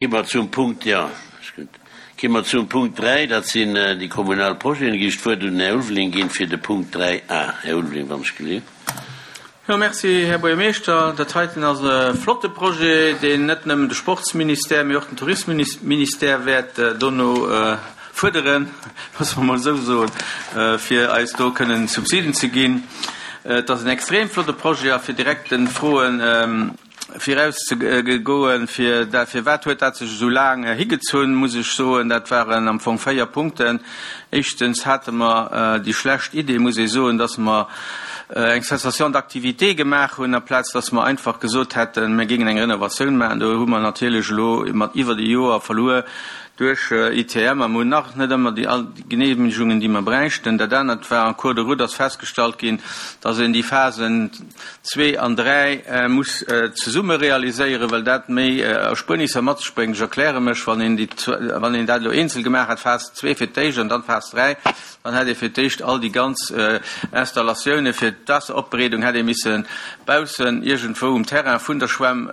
Gi mer zum Punkt, jo, ass gutt. Gi mer zum Punkt 3, dat sinn déi kommunal Projeten. Gi ech d'Wuert un den Här Ulveling ginn fir de Punkt 3 a. Här Ulveling, wann ech gelift. Jo, merci, Här Buergermeeschter. Dat heiten ass e flotte Projet, deen net nëmmen de Sportsministère, mee och den Tourismusministère wäert dono fuerderen, loosse mer emol esou soen, fir eis do kënnen Subsiden ze ginn. Et ass en extrem flotte Projet a fir direkt de Froen, Viraus ze goen, fir dat, firwat huet dat sech esou laang higezunn, muss ech soen, dat waren am Fong 4 Punkten. Éischtens hate mer déi schlecht Idee, muss ee soen, dass mer eng Cessation d'activité gemaach hunn, amplaz dass mer einfach gesot hätten, mir géingen eng Renovatioun maachen. Do hu mer natierlech elo mat iwwert e Joer verluer duerch ITM a mer hunn nach net ëmmer déi all Genehmigungen, déi mer bräichten. Dat anert war, en cours de route ass festgestallt ginn, dass een déi Phasen, Zwee an dräi muss zesumme realiséieren, well dat méi Erspuernisser mat sech bréngt. Ech erkläre mech, Wann een déi, wann een dat elo eenzel gemaach hätt, Phas zwee fir d'éischt an dann Phas dräi, dann hätt ee fir d'éischt all déi ganz Installatioune fir d'Waasseropbereedung hätt ee misse baussen iergendwou um Terrain vun der Schwämm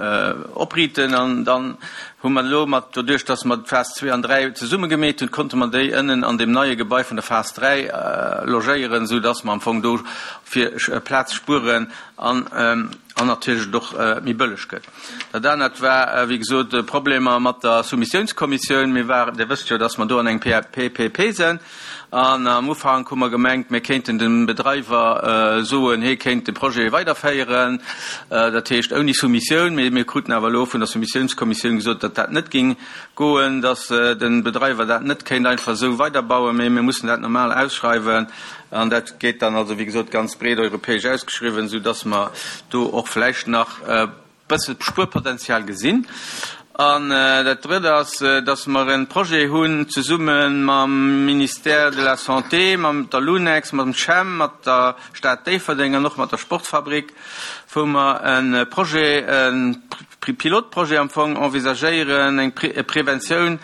opriiten an dann hu mer elo mat, doduerch datt mer d'Phas zwee an dräi zesumme gemeet hunn, konnte mer déi ënnen an deem neie Gebai vun der Phas dräi logéieren, esou datt mer am Fong do fir Plaz spueren an an natierlech et och méi bëlleg gëtt. Dat anert war, wéi gesot, Problemer mat der Soumissiounskommissioun. Mir waren, Dir wësst jo, datt mer do an engem PPP sinn. An am Ufank hu mer gemengt, mir kéinten dem Bedreiwer soen, hie kéint de Projet weiderféieren, dat heescht ouni Soumissioun. Mee mir kruten awer elo vun der Soumissiounskommissioun gesot, datt dat net géing goen, datt de Bedreiwer dat net kéint einfach esou weiderbauen, mee mir mussen dat normal ausschreiwen. An dat gétt dann also, wéi gesot, ganz breet europäesch ausgeschriwwen, soudatt mer do och vläicht nach e bësse Spuerpotenzial gesinn. An dat Drëtt ass, datt mer e Projet hunn zesumme mam Ministère de la Santé, mam der LUNEX, mam CHEM, mat der Stad Déifferdeng an och mat der Sportfabrik, wou mer e Projet, e Pilotprojet am Fong envisagéieren, eng Preventioun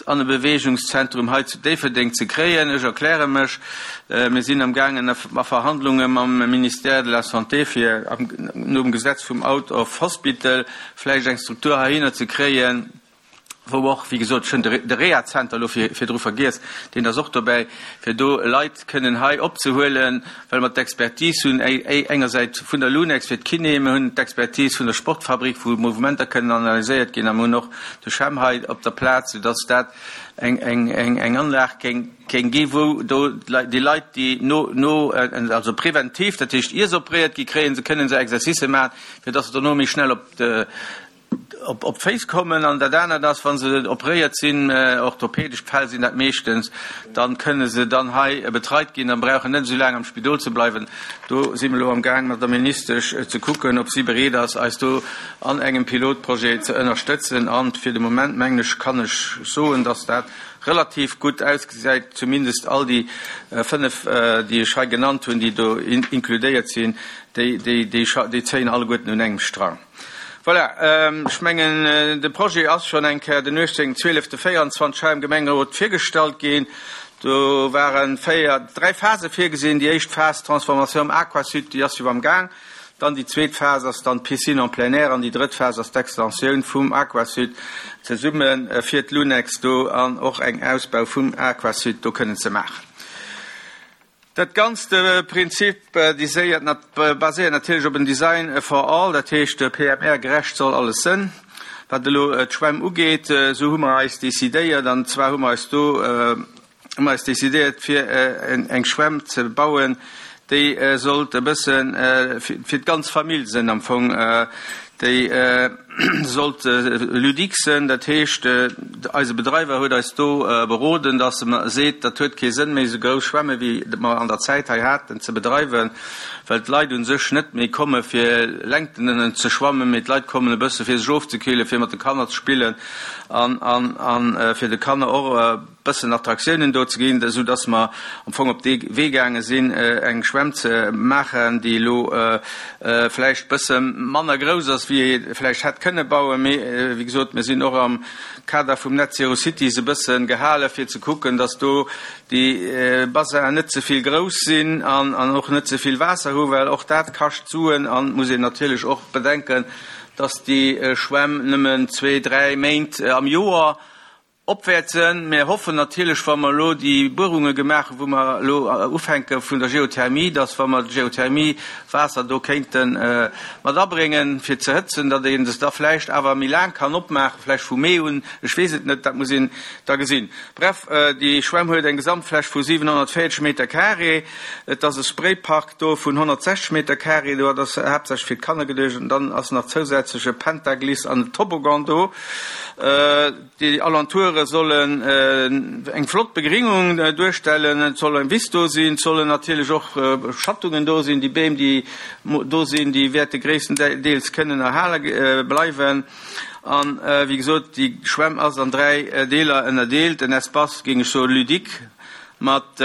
an e Beweegungszentrum hei zu Déifferdeng ze kréien. Ech erkläre mech, Mir sinn amgaangen a Verhandlunge mam Ministère de la Santé, fir nom Gesetz vum Out of Hospital vläicht eng Struktur heihinner ze kréien, wou och, wéi gesot, ech hunn de Rehazenter elo virdru vergiess, deen ass och dobäi, fir do Leit kënnen hei opzehuelen, well mer d'Expertise hunn, engersäits vun der Lunex fir d'Kiné, mir hunn d'Expertise vun der Sportfabrik, wou Mouvementer kënnen analyséiert ginn, a mir hunn och de CHEM hei op der Plaz, soudass dat eng Anlag géing gi, wou do déi Leit, déi no, also preventiv, dat heescht ier se opréiert gi kréien, se kënnen se Exercicë maachen, fir dass se dono méi schnell op op d'Féiss kommen an dat anert ass, wa se operéiert sinn, orthopedesch Fäll sinn dat meeschtens, da kënne se dann hei betreit ginn a brauchen net esou laang am Spidol ze bleiwen. Do si mer elo am Gaang mat der Ministesch ze kucken, ob si bereet ass, eis do an engem Pilotprojet ze ënnerstëtzen. A fir de Moment, mengen ech, kann ech soen, dass dat relativ gutt ausgesäit, zumindest all déi 5, déi ech hei genannt hunn, déi do inkludéiert sinn, déi zéien alleguerten un engem Strang. Voilà, ech mengen, de Projet ass schonn eng Kéier den 18. 12. 24 hei am Gemengerot virgestallt ginn. Do ware véier, dräi Phase virgesinn. Déi éischt Phas, d'Transformation am Aquasud, déi ass jo am Gaang. Dann déi zweet Phas ass dann d'Piscine en plein air an déi drëtt Phas ass d'Extensioun vum Aquasud zesumme fir d'Lunex do an och eng Ausbau vum Aquasud do kënnen ze maachen. Dat ganzt Prinzip baséiert natierlech op en Design for all, dat heescht PMR-gerecht soll alles sënn. Wat elo d'Schwämm ugeet, esou hu mer eis decidéiert, an zwar hu mer eis do hu mer eis decidéiert fir eng Schwämm ze bauen, déi sollt e bësse fir d'ganz Famill sënn am Fong. Déi sollt ludique sënn, dat heescht, eise Bedreiwer huet eis do beroden, datt e seet, dat huet kee Sënn méi, esou grouss Schwämme wéi mer an der Zäit hei haten ze bedreiwen, well d'Leit u sech net méi komme fir Längten ze schwammen, mee d'Leit kommen e bësse fir sech ofzekillen, fir mat de Kanner ze spillen an fir de Kanner och e bëssen Attraktiounen do ze ginn, esou dass mer am Fong op dee Wee gaange sinn, eng Schwämm ze maachen, déi elo vläicht bësse manner grouss ass, wéi ee vläicht hätt kënne bauen. Mee wéi gesot, mir sinn och am Kader vum Net Zero Cities e bësse gehale fir ze kucken, dass do déi Bassinen net ze vill grouss sinn an och net ze vill Waasser hu, well och dat kascht Suen an muss een natierlech och bedenken. dass déi Schwämm nëmmen zwee, dräi Méint am Joer op wäert sënn. Mir hoffen natierlech, wa mer elo déi Buerunge gemaach hunn, wou mer elo ufänke vun der Geothermie, dass, wa mer d'Geothermie-Waasser do kéinte mat abréngen, fir ze hëtzen, datt ee se da vläicht awer méi laang kann opmaachen, vläicht vu Mee un, ech weess et net, dat muss een da gesinn. Bref, déi Schwämm huet eng Gesamtfläch vu 740 Meter carré. Et ass e Spraypark do vun 160 Meter carré do, dat ass haaptsächlech fir d'Kanner geduecht. An dann ass nach zousätzlech e Pentaglisse an e Toboggan do. Déi Alentoure sollen eng flott Begringung duerstellen, et soll eng Wiss do sinn, et sollen natierlech och Schattungen do sinn. Déi Beem, déi do sinn, déi wäerte gréisstendeels kënnen erhale bleiwen. An, wéi gesot, déi Schwämm ass an 3 Deeler ënnerdeelt, en Espace, géing ech soen, ludique mat,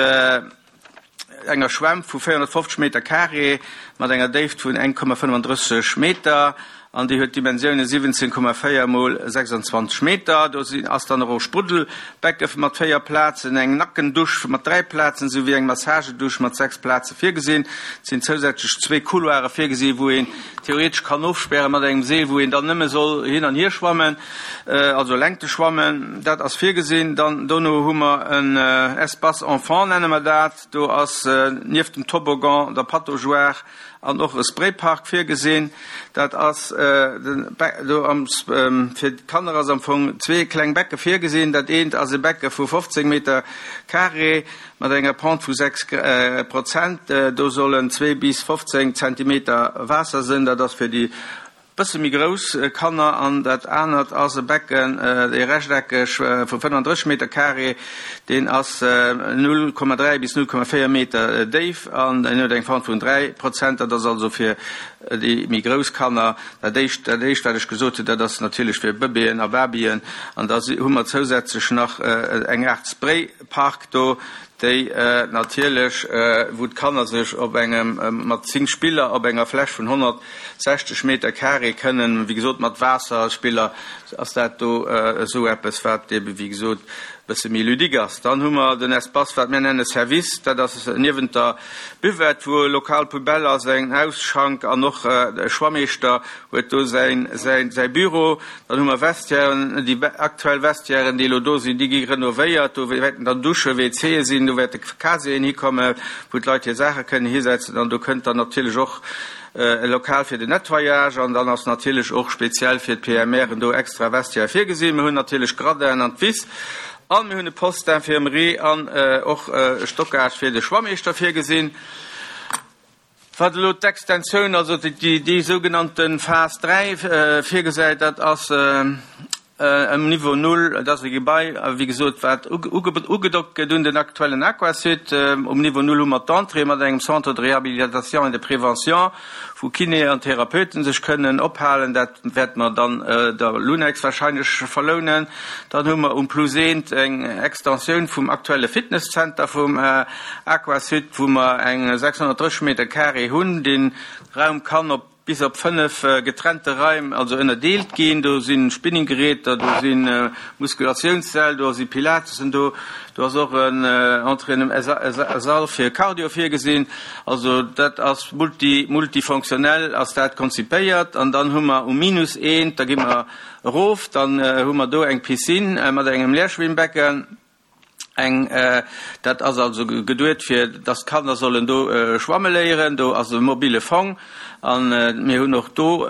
enger Schwämm vu 450 Meter carré mat enger Déift vun 1,35 Meter an déi huet d'Dimensioune 17,4 mol 26 Meter. Do ass dann och e Spruddelbecke mat 4 Plazen, eng Nackendusch mat 3 Plazen esouwéi eng Massagedusch mat 6 Plaze virgesinn. Et sinn zousätzlech zwee Couloire virgesinn, wou een theoretesch kann ofspäre mat engem Seel, wou een dann nëmme soll hin an hier schwammen. Also Längte schwammen, dat ass virgesinn. Dann dono hu mer en Espace enfant, nenne mer dat. Do ass nieft dem Toboggan, der Pataugeoire an och e Spraypark virgesinn. Dat ass do am, fir d'Kanner ass am Fong zwee kleng Becke virgesinn. Dat eent ass e Becke vu 15 Meter carré mat enger Pente vu 6 Prozent. Do sollen zwee bis 15 Zentimeter Waasser sënn. Dat ass fir déi Bësse méi grouss Kanner an dat anert ass e Becken, ee rechteckeg vu 35 Meter carré, deen ass 0,3 bis 0,4 Meter déif an en huet eng Pente vun 3 Prozent. Dat ass also fir déi méi grouss Kanner. Dat éischt, dat éischt wat ech gesot hunn, dat ass natierlech fir Bëbeeën a Babyen. An da hu mer zousätzlech nach eng Aart Spraypark do, déi natierlech, wou d'Kanner sech op engem, mat 10 Spiller op enger Fläch vun 160 Meter carré kënnen, wéi gesot mat Waasserspiller ass dat do esou eppes, wat ebe wéi gesot e bësse méi ludique ass. Dann hu mer den Espace, wat mir nenne Service, dat ass niewent der Buvette, wou e Local poubelle ass, en Ausschank an och e Schwammeeschter huet do säin, säin, säi Büro. Dann hu mer Vestiairen, déi aktuell Vestiairen, déi elo do sinn, déi gi renovéiert. Do wäerten dann Dusche, WCe sinn, do wäerte Casieren hikommen, wou d'Leit hir Saache kënnen hisetzen. An do kënnt dann natierlech och e Lokal fir den Nettoyage. An dann ass natierlech och speziell fir d'PMRen do extra Vestiaire virgesinn. Mir hunn natierlech Gradinen an d'Wiss. An mir hunn e Poste d'infirmerie an och e Stockage fir de Schwammeeschter virgesinn. Wat elo d'Extensioun, also déi sougenannte Phas 3 virgesäit, dat ass um Niveau null. Et ass e Gebai, wéi gesot, wat ugedockt gëtt un den aktuellen Aquasud. Um Niveau null hu mer d'Entrée mat engem Centre de réhabilitation et de prévention, wou Kinéen an Therapeute sech kënnen ophalen. Dat wäerte mer dann der Lunex wahrscheinlech verlounen. Dann hu mer um Plus eent eng Extensioun vum aktuelle Fitnesszenter vum Aquasud, wou mer eng 630 Meter carré hunn. Dee Raum kann op bis op 5 getrennte Raim also ënnerdeelt ginn. Do si Spinninggeräter, do si Muskulatiounssäll, do si Pilatesen do, do ass och en Entraînement, e Sall fir Cardio virgesinn. Also dat ass multi, multifonctionnel ass dat konzipéiert. An dann hu mer um Minus eent, da gi mer erof, dann hu mer do eng Piscine mat engem Leerschwimmbecken. Eng, dat ass also geduet fir dass d'Kanner sollen do schwamme léieren. Do ass e mobile Fong an mir hunn och do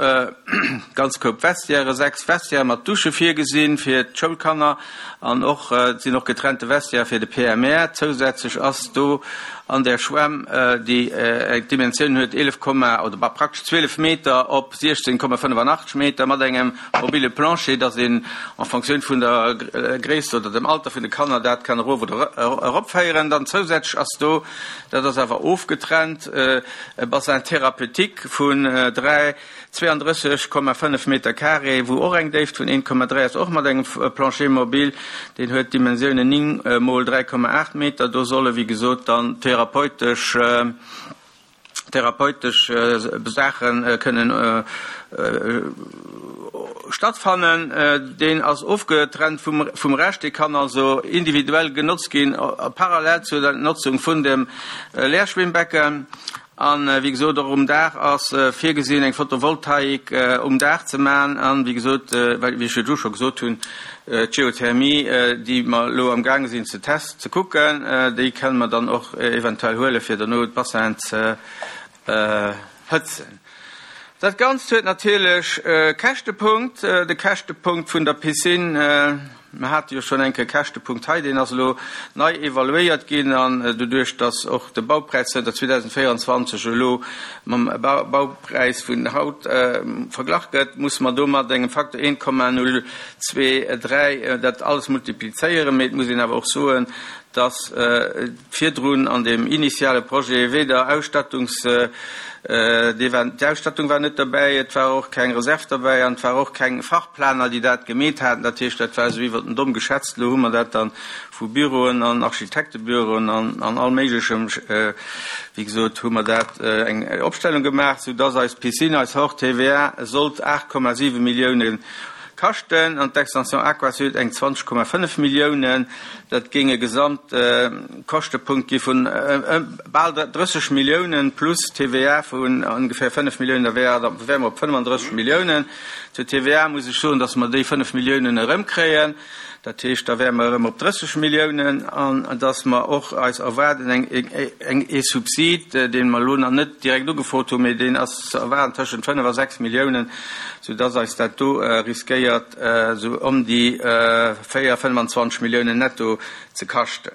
ganz Koup Vestiairen, 6 Vestiaire mat Dusche virgesinn fir d'Schoulkanner an och, et sinn och getrennte Vestiaire fir de PMR. Zousätzlech ass do an där Schwämm, déi eng Dimensioun huet 11, oder praktesch 12 Meter op 16,85 Meter mat engem mobile Plancher, dass een en Fonctioun vun der Gréisst oder dem Alter vun de Kanner dat kann erof oder eropféieren. Dann zousätzlech ass do, dat ass awer ofgetrennt, e Bassin thérapeutique vun 3, 32,5 Meter carré, wou och eng Déift vun 1,3 ass, och mat engem Plancher mobile. Deen huet d'Dimensiounen 9 mol 3,8 Meter. Do solle wéi gesot dann therapeutesch, therapeutesch Saache kënnen stattfannen. Deen ass ofgetrennt vum Rescht. Dee kann also individuell genotzt ginn, parallel zur Notzung vun dem Leerschwimmbecken. An, wéi gesot, och um Daach ass virgesinn, eng Photovoltaik um Daach ze maachen. An, wéi gesot, wéi ech virdru scho gesot hunn, d'Geothermie, déi mer elo amgaange sinn ze test, ze kucken, déi kënne mer dann och eventuell huele fir dono d'Bassinen ze hëtzen. Dat Ganzt huet natierlech e Käschtepunkt, de Käschtepunkt vun der Piscine. Mer hate jo schonn eng Kéier e Käschtepunkt hei, deen ass elo nei evaluéiert ginn an doduerch, datt och de Baupräis zënter 2024 elo mam Baupräis vun haut verglach gëtt, musse mer do mat engem Facteur 1,023 dat alles multiplizéieren. Mee et muss een awer och soen, datt virdrun an deem initiale Projet weder Ausstattungs, d'Ausstattung war net derbäi, et war och keng Reserv derbäi an et war och keng Fachplaner, déi dat gemeet haten. Dat heescht, dat war esou iwwert den Domm geschätzt. Elo hu mer dat dann vu Büroen an Architektebüroen an all Méiglechem, wéi gesot, hu mer dat eng Opstellung gemaach, soudass eis Piscine, eis Hors TVA sollt 8,7 Milliounen kaschten an d'Extension Aquasud eng 20,5 Milliounen. Dat géing e Gesamtkäschtepunkt gi vun bal 30 Milliounen plus TVA vun ongeféier 5 Milliounen, da wäre mer op 35 Milliounen. Zur TVA muss ech soen, datt mer déi 5 Milliounen erëmkréien. Dat heescht, da wäre mer erëm op 30 Milliounen an datt mer och eis erwaarden eng ee Subsid, dee mer elo nach net direkt ugefrot hunn, mee deen ass ze erwaarden tëschent 5 a 6 Milliounen, soudatt eis dat do riskéiert esou ëm déi 4, 25 Milliounen netto ze kaschten.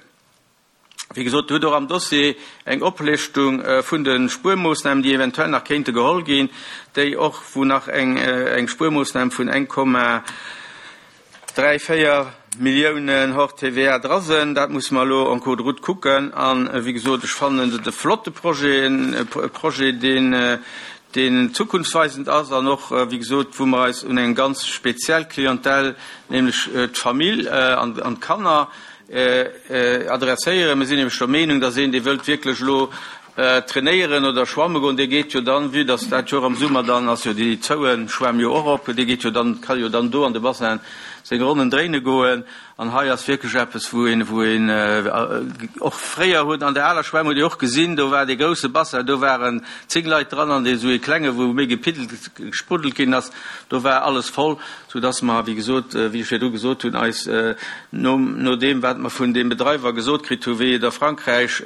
Wéi gesot, Dir hutt och am Dossier eng Oplëschtung vun de Spuermoossnamen, déi eventuell nach kéinte geholl ginn, déi och, wou nach eng Spuermoossnam vun 1,34 Milliounen hors TVA dra sinn. Dat musse mer elo en cours de route kucken. A wéi gesot, ech fannen et e flotte Projet, e Projet, deen, deen zukunftsweisend ass an och, wéi gesot, wou mer eis un eng ganz speziell Clientèle, nämlech d'Famill an d'Kanner, adresséieren. Mir sinn nämlech der Meenung, dass een, dee wëllt wierklech elo trainéieren oder schwamme goen, dee geet jo dann, vue dass dat jo och am Summer dann ass jo déi zoue Schwämm jo och op, dee geet jo dann, ka jo dann do an de Bassin seng Ronnen dréine goen. An hei ass wierklech eppes, wou een, wou een och fréier huet, an der aler Schwämm huet Dir och gesinn, do war dee grousse Bassin, do waren zéng Leit dran, an dee sou ee klenge wou méi gepiddelt, gespruddelt ginn ass, do war alles voll, soudass mer, wéi gesot, wéi ech virdru gesot hunn, eis no, no deem, wat mer vun deem Bedreiwer gesot kritt hunn, wéi et a Frankräich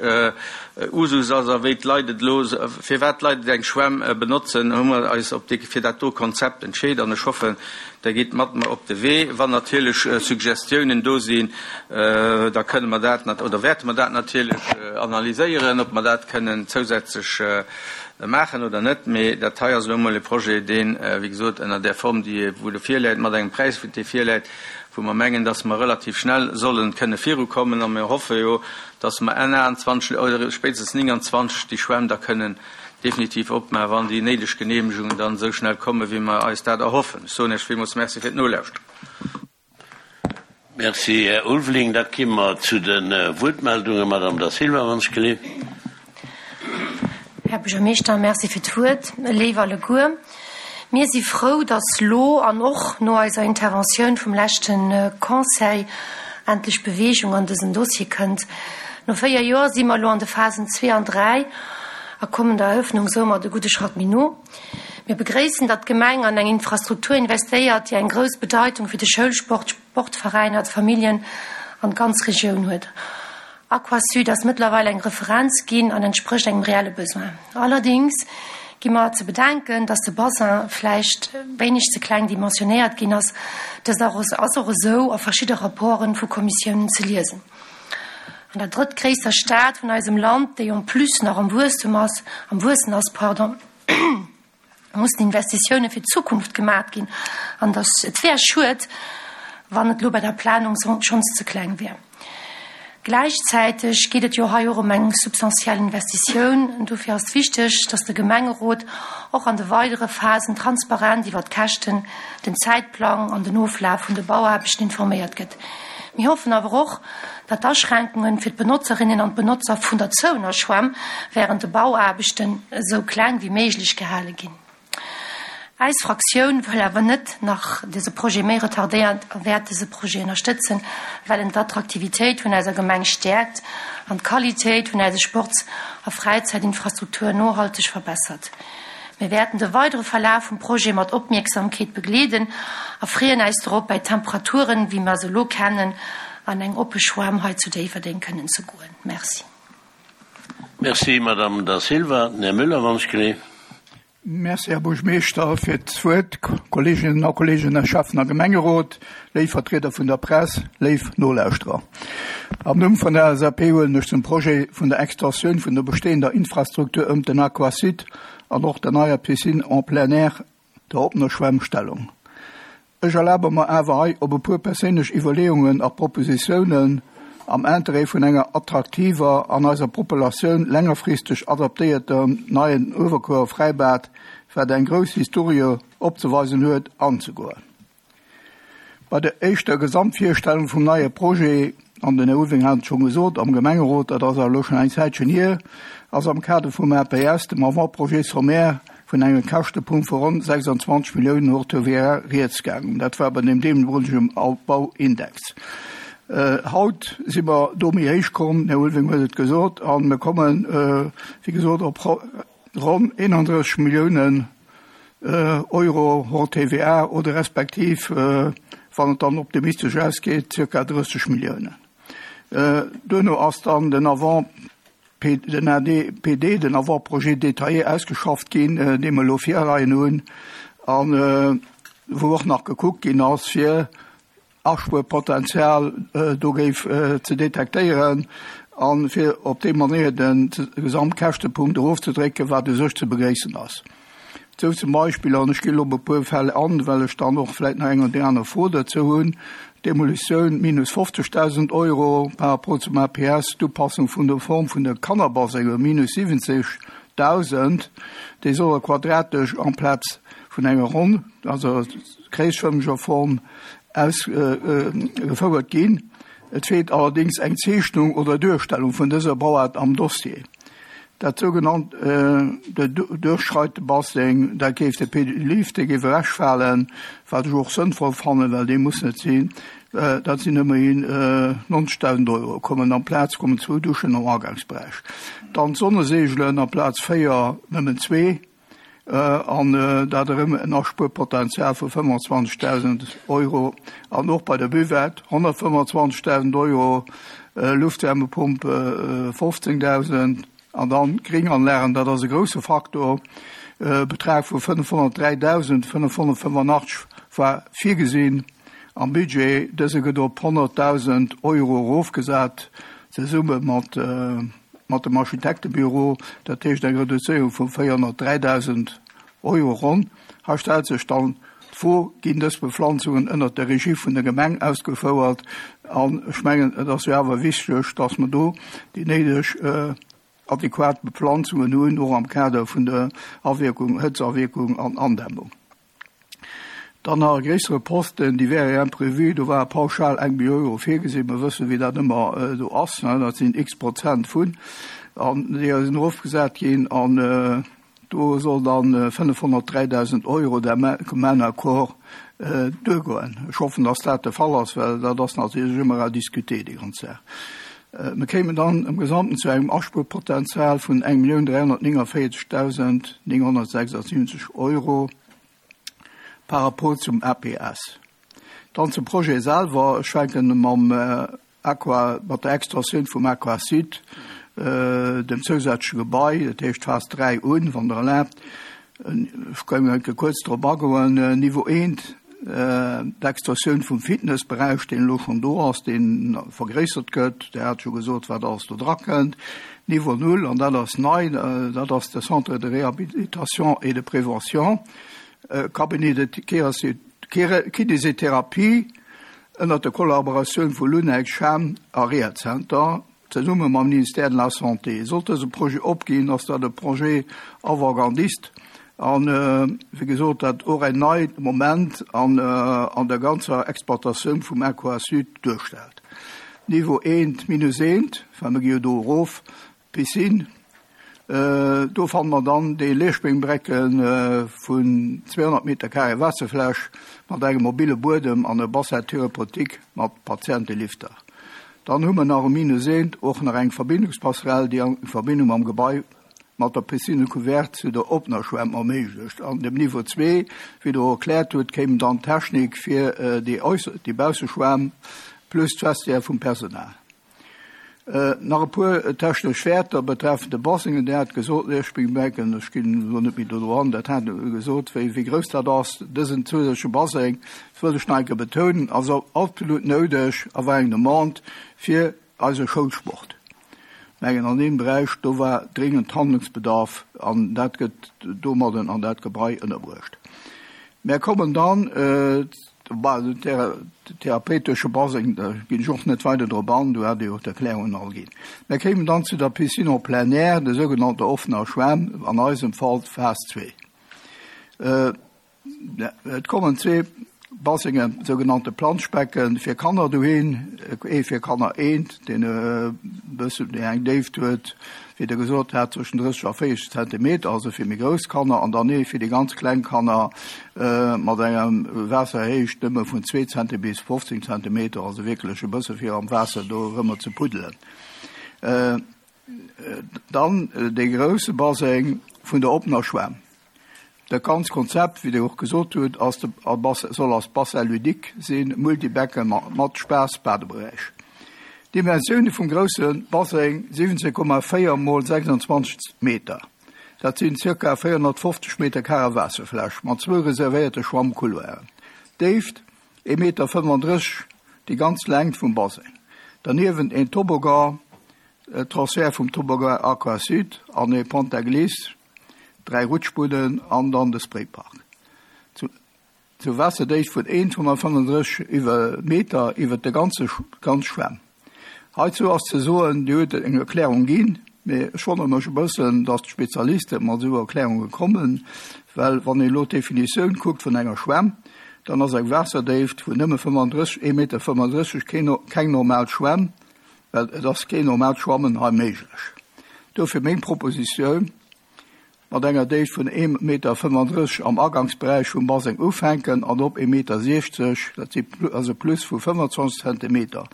Usus ass a wéi d'Leit et elo, firwat d'Leit et eng Schwämm benotzen, hu mer eis op dee, fir dat do Konzept entscheet. An ech hoffen, Der gitt mat mer op de Wee. Wann natierlech Suggestiounen do sinn, da kënne mer dat, oder wäerte mer dat natierlech analyséieren, ob mer dat kënnen zousätzlech maachen oder net. Mee dat hei ass elo emol e Projet, deen, wéi gesot, ënner där Form, déi wou e virläit, mat engem Präis, dee virläit, wou mer mengen, dass mer relativ schnell solle kënne virukommen. A mir hoffe jo, dass mer Enn 28 oder spéitstens 29 déi Schwämm da kënnen definitiv opmaachen, wann déi néideg Genehmegungen dann esou schnell kommen, wéi mer eis dat erhoffen. Ech soen Iech villmools Merci fir d'Nolauschteren. Merci, Här Ulveling. Da ki mer zu de Wuertmeldungen. Madame Da Silva, wann ech geleeft. Här Buergermeeschter, Merci fir d'Wuert. Léif alleguer, mir si frou, dass lo an och no eiser Interventioun vum leschte Conseil endlech Beweegung an dësen Dossier kënnt. No 4 Joer si mer elo an de Phasen 2 an 3 a kommen der Eröffnung soumat e gudde Schratt méi no. Mir begréissen, datt d'Gemeng an eng Infrastruktur investéiert, déi eng grouss Bedeitung fir de Schoulsport, d'Sportveräiner, d'Familljen an d'ganz Regioun huet. Aquasud ass mëttlerweil eng Referenz ginn an entsprécht engem reelle Besoin. Allerdéngs gi mer ze bedenken, datt de Bassin vläicht wéineg ze kleng dimensionéiert ginn ass. Dëst ass och esou a verschidde Rapporten vu Kommissiounen ze liesen. An der drëttgréisster Stad vun eisem Land, déi en plus nach am Wuesstum ass, am Wuessen ass, pardon, mussen Investitioune fir d'Zukunft gemat ginn an dass et wär schued, wann et elo bei der Planung schonns ze kleng wär. Gläichzäiteg geet et jo hei och ëm eng substantiell Investitioun. Dofir ass et wichteg, dass de Gemengerot och an de weidere Phasen transparent iwwert d'Käschten, den Zäitplang an den Oflaf vun de Bauaarbechten informéiert gëtt. Mir hoffen awer och, datt d'Aschränkunge fir d'Benotzerinnen an d'Benotzer vun der zouener Schwämm wärend de Bauaarbechten esou kleng wéi méiglech gehale ginn. Eis Fraktioun wëll awer net nach dëse Projet méi retardéieren a wäert dëse Projet ënnerstëtzen, well en d'Attraktivitéit vun eiser Gemeng stäerkt an d'Qualitéit vun eise Sports a Fräizäitinfrastruktur nohalteg verbessert. Mir wäerten de weidere Verlaf vum Projet mat Opmierksamkeet begleeden a freeën äis dorop, bäi Temperaturen, wéi mer se elo kennen, an eng oppe Schwämm hei zu Déifferdeng kënnen ze goen. Merci. Merci, Madame Da Silva. Den Här Müller, wann ech geleef. Merci, Här Buergmeeschter, fir d'Wuert. Kolleeginnen a Kolleegen, Här Schäffen a Gemengerot, léif Vertrieder vun der Press, léif Nolauschterer. Am Numm vun der LSAP huelen ech zum Projet vun der Extensioun vun der bestehender Infrastruktur ëmt den Aquasud an och der neier Piscine en plein air, der oppener Schwämm, Stellung. Ech erlabe mer awer hei op e puer perséinlech Iwwerleeungen a Propositiounen am Interêt vun enger attraktiver an eiser Populatioun längerfristeg adaptéiertem neien Uewerkuerer Fräibad, wat eng grouss Historie opzeweisen huet, anzegoen. Bei der éischter Gesamtvirstellung vum neie Projet, an den Här Ulveling hat et scho gesot, am Gemengerot, dat ass awer elo schonn eng Zäitchen hier, ass am Kader vum APS, dem Avant-projet sommaire, vun engem Käschtepunkt vu ronn 26 Milliounen hors TVA rieds gaangen. Dat war bei deem deemolegen Bauindex. Haut si mer do méi héich komm, den Här Ulveling huet et gesot, a mir kommen, wéi gesot, op ronn 31 Milliounen Euro hors TVA oder respektiv, wann et dann optimistesch ausgeet, zirka 30 Milliounen. Duerno ass dann den Avant den ADPD, den Avant-projet détaillé ausgeschafft ginn, dee mer elo virleien hunn a wou och nach gekuckt ginn ass, fir Aspuerpotenzial do géif ze detektéieren a fir op déi Manéier de Gesamtkäschtepunkt erofzedrécken, wat u sech ze begréissen ass. Sou zum Beispill, an ech ginn elo op e puer Fäll an, well ech dann och vläicht nach eng oder déi aner Fro dozou hunn, Demolitioun minus 50.000 Euro par rapport zum APS, d'Upassung vun der Form vun de Kannerbasengen minus 70.000, déi solle quadratesch amplaz vun enger ronn, also kreesfërmeger Form ausgefouert ginn. Et feelt allerdéngs eng Zeechnung oder Duerstellung vun dëser Bauaart am Dossier. Dat sougenannt Duerchschreitebasseng, dat géif de Pédilift, dee géif ewechfalen, wat ech och sënnvoll fannen, well dee muss net sinn. Dat sinn ëmmerhin 90.000 Euro kommen amplaz kommen zwou Duschen am Agangsberäich. Dann d'Sonneseegelen amplaz véier nëmmen zwee. An dat erëm en Aspuerpotenzial vu 25.000 Euro. An och bei der Buvette 125.000 Euro, Luftwärmepump 15.000. An dann d'Gringanlagen, dat ass e grouse Faktor, e Betrag vu 503.585 war virgesinn am Budget. Dëse gëtt op 100.000 Euro erofgesat, zesumme mat mat dem Architektebüro, dat heescht eng Reduzéierung vu 403.000 Euro ronn. Hei stellt sech dann d'Fro, Ginn dës Bepflanzungen ënnert der Regie vun der Gemeng ausgefouert? An ech mengen, et ass jo awer wichteg, dass mer do déi néideg adequat Bepflanzungen hunn, och am Kader vun der Awierkung, Hëtzawierkung an Andämmung. Dann nach e gréissere Posten, déi wäre imprévu, do war pauschal eng Millioun Euro virgesinn. Mer wëssen, wéi dat ëmmer do ass, dat sinn x Prozent vun, an déi sinn erofgesat ginn an do soll dann 503.000 Euro dem commun accord duergoen. Ech hoffen, dass dat de Fall ass, well dat ass natierlech ëmmer à discuter, déi ganz Saach. Mer kéimen dann am Gesamten zu engem Aspuerpotenzial vun 1.349.976 Euro par rapport zum APS. Dann zum Projet selwer. Ech fänken mam Aqua, mat der Extensioun vum Aquasud, dem zousätzleche Gebai, dat heescht Phas 3 un, wann Der erlaabt. Ech géing eng Kéier kuerz drop agoen. Niveau eent, d'Extensioun vum Fitnessberäich, deen elo schonn do ass, dee vergréissert gëtt. Dir hat scho gesot, wat alles do drakënnt. Niveau null, an dat ass nei, dat ass de Centre de réhabilitation et de prévention, Cabinet de kinésithérapie ënnert der Kollaboratioun vu Lunec, Schem a Rehazenter. Zesumme mam Ministère de la Santé. Sollt dëse Projet opginn, ass dat e Projet avantgardiste an, wéi gesot, dat och en neit Moment an der ganzer Exploitatioun vum Aquasud duerstellt. Niveau eent minus eent, well mir gi jo do erof, Piscine. Do fanne mer dann dee Leerspéngbrecke vun 200 Meter carré Waasserfläch mat engem mobile Buedem an e Bassin thérapeutique mat Patientelifter. Dann hu mer nach um Minus eent och nach eng Verbindungspasserelle, déi eng Verbindung mam Gebai mat der Piscine couverte zu der oppener Schwämm erméiglecht. An dem Niveau zwee, wéi Der och erkläert hutt, kéim dann d'Technik fir déi déi Bausseschwämm plus d'Vestiaire vum Personal. Nach e puer technesch Wäerter betreffend de Basseng. Dir hat gesot, Leerspringbecken, ech ginn elo net méi do dran, dat hat Der gesot, wéi wéi grouss dat ass, dësen zousätzleche Baseng, dat wëll ech nach eng Kéier betounen, ass absolut noudeg a war eng Demande fir eise Schoulsport. Mengen an deem Beräich, do war dringend Handlungsbedarf an dat gëtt domadden an dat Gebai ënnerbruecht. Mär kommen dann, den therapeutesche Baseng, da ginn ech och net weider drop an, do hat Dir jo d'Erklärungen all ginn. Mär kéimen dann zu der Piscine en plein air, der sougenannter offener Schwämm, an eisem Fall d'Phas 2. Et kommen zwee Basengen, sougenannte Planschbecken, fir Kanner dohin, ee fir Kanner eent, deen e bëssen, deen eng Déift huet, wéi Der gesot hat, zwëschen 30 a 40 Zentimeter, also fir méi grouss Kanner, an dann ee fir déi ganz kleng Kanner mat engem Waasserhéicht nëmme vun zwee Zentimeter bis 15 Zentimeter, also wierklech e bësse fir am Waasser do erëmmer ze puddelen. Dann dee grousse Baseng vun der oppener Schwämm. Dat ganz Konzept, wéi Dir och gesot hutt, ass de soll als Bassin ludique sinn, Multibecken mat Spaass-Badeberäich. D'Dimensioune vum grousse Baseng, 17,4 mol 26 Meter, dat sinn zirka 450 Meter carré Waasserfläch mat zwou reservéierte Schwammcouloiren. D'Déift, ee Meter 35, déi ganz Längt vum Baseng. Derniewent een Toboggan, Transfert vum Toboggan Aqua Sud an ee Pont à glisse, 3 Rutschbunnen an dann de Spraypark. Zu zu Waasserdecht vun 1,35 iwwer Meter iwwer de ganze ganz Schwämm. Heizou ass ze soen, Dir huet eng Erklärung ginn, mee ech wonnere mech e bëssen, datt d'Spezialiste mat esou Erklärunge kommen, well wann een elo d'Definitioun kuckt vun enger Schwämm, dann ass eng Waasserdéift vun nëmme 35, 1,35 Meter keen keng normal Schwämm, well et ass keen normaalt Schwammen hei méiglech. Dofir meng Propositioun, mat enger Déift vun 1,35 Meter am Agangsberäich vum Baseng ufänken an op 1,60 Meter, dat si ass e Plus vu 25 Zentimeter,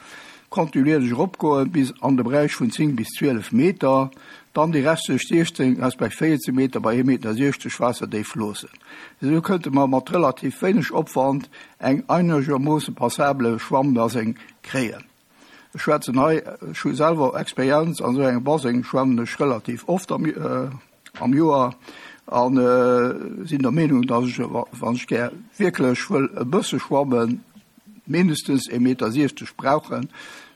kontinuierlech eropgoen bis an de Beräich vun 10 bis 12 Meter, dann déi restlech 16 resp. 14 Meter bei 1,60 Meter Waasserdéift loossen. Esou kënnte mer mat relativ wéineg Opwand eng einegermoosse passabele Schwammbaseng kréien. Ech schwätzen hei, ech hu selwer Experienz, an esou engem Baseng schwammen ech relativ oft am am Joer a sinn der Meenung, datt ech, wann ech gär wierklech wëll e bësse schwammen, mindestens ee Meter 60 brauchen.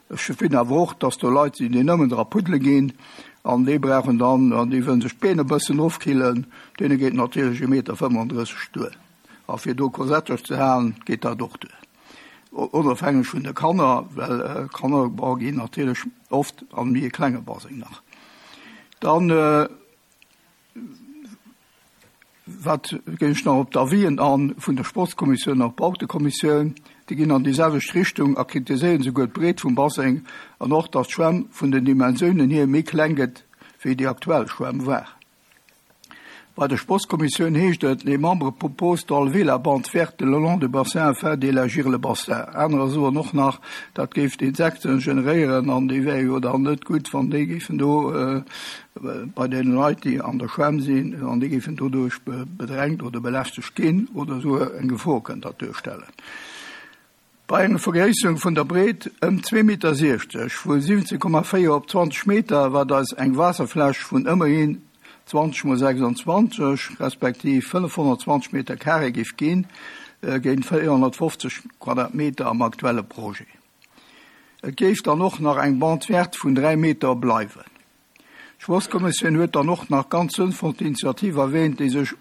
Ech finn awer och, datt do Leit sinn, déi nëmmen dra puddele ginn an déi brauchen dann, an déi wëllen sech d'Been e bëssen ofkillen, deene geet natierlech ee Meter 35 duer. A fir do Kosetterch ze halen, geet dat och duer. Onofhängeg vun de Kanner, well Kanner ginn natierlech oft an méi e klenge Baseng nach. Dann wat ginn ech nach op d'Avisen an vun der Sportskommissioun an Bautekommissioun. Déi ginn an déi selwecht Richtung a kritiséieren souguer d'Breet vum Baseng an och, datt d'Schwämm vun den Dimensiounen hier méi kleng gëtt wéi déi aktuell Schwämm war. Bei der Sportskommissioun heescht et, Les membres proposent d'enlever la bande verte le long du bassin afin d'élargir le bassin. Anerer soen och nach, dat géif d'Insekten generéieren an déi wäre jo dann net gutt, wann déi géifen do bei deene Leit, déi an der Schwämm sinn, wann déi géifen doduerch bedrängt oder belästegt ginn oder esou eng Gefor kënnt dat duerstellen. Bei enger Vergréisserung vun der Breet ëm 2,60 Meter, vu 17,4 op 20 Meter, wat eis eng Waasserfläch vun ëmmerhin 20 mol 26, respektiv 520 Meter carré géif ginn, géint 450 Quadratmeter am aktuelle Projet. Et géif dann och nach eng Bande verte vun 3 Meter bleiwen. D'Sportskommissioun huet dann och nach ganz sënnvoll d'Initiativ erwähnt, déi sech,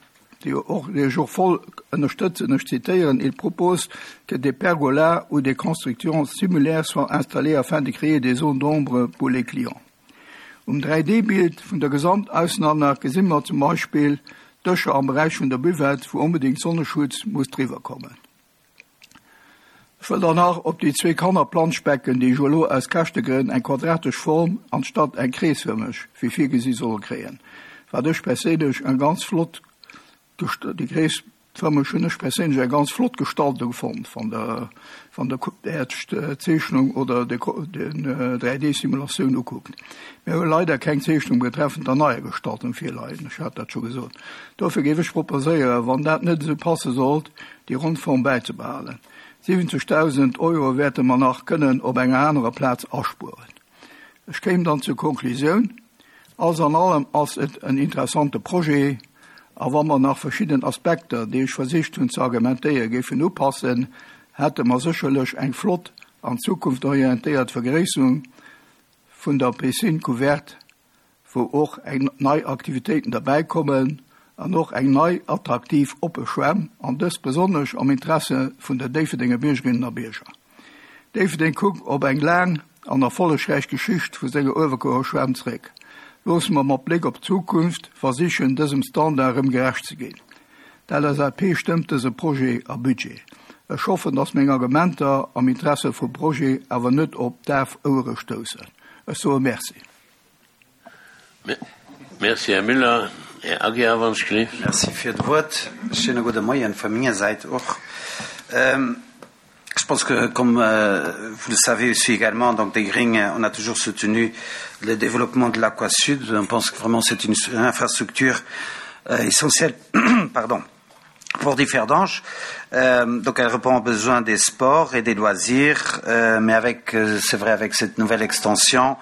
déi och, déi ech och voll ënnerstëtzen, ech zitieren, Il propose que des pergolas ou des constructions similaires soient installées afin de créer des zones d'ombre pour les clients. Um 3D-Bild vun der Gesamtaussenanlag gesi mer zum Beispill Dëscher am Beräich vun der Buvette, wou onbedéngt Sonneschutz muss driwwer kommen. Ech wëll dann nach op déi zwee Kannerplanschbecken, déi ech elo aus Käschtegrënn eng quadratesch Form anstatt eng kreesfërmeg, wéi virgesi, solle kréien. Wat ech perséinlech eng ganz flott déi gréisst Fërmeg hunn ech perséinlech eng ganz flott Gestaltung fonnt, wann Der wann Der Äert Zeechnung oder de den 3D-Simulatioun ukuckt. Mir hu leider keng Zeechnung betreffend der neier Gestaltung virleien, ech hat dat scho gesot. Dofir géif ech proposéieren, wann dat net esou passe sollt, déi ronn Form bäizebehalen. 70.000 Euro wäerte mer nach kënnen op enger anerer Plaz aspueren. Ech kéim dann zur Konklusioun, Alles an allem ass et en interessante Projet, a wa mer nach verschidden Aspekter, déi ech versicht hunn ze argumentéieren, géifen upassen, hätte mer sécherlech eng flott an zukunftorientéiert Vergréisserung vun der Piscine couverte, wou och eng nei Aktivitéiten derbäikommen an och eng nei attraktiv oppe Schwämm, an dëst besonnesch am Interesse vun der Déifferdenger Biergerinnen a Bierger. Déifferdeng kuckt op eng laang an erfollegräich Geschicht vu senger Uewerkuerer Schwämm zeréck. Loosse mer mat Bléck op d'Zukunft versichen, dësem Standard erëm gerecht ze ginn. D'LSAP stëmmt dëse Projet a Budget. Ech hoffen, dass meng Argumenter am Interesse vum Projet awer net op daf Ouere stoussen. Ech soe Merci. Merci, Här Müller. Här Aguiar, wann ech gleef. Merci fir d'Wuert. Schéine gudde Moien vu menger Säit och. Je pense que, comme vous le savez aussi également, donc des Green, on a toujours soutenu le développement de l'Aquasud. On pense que vraiment c'est une infrastructure essentielle pardon, pour Differdange. Donc elle répond aux besoins des sports et des loisirs, mais avec, c'est vrai, avec cette nouvelle extension,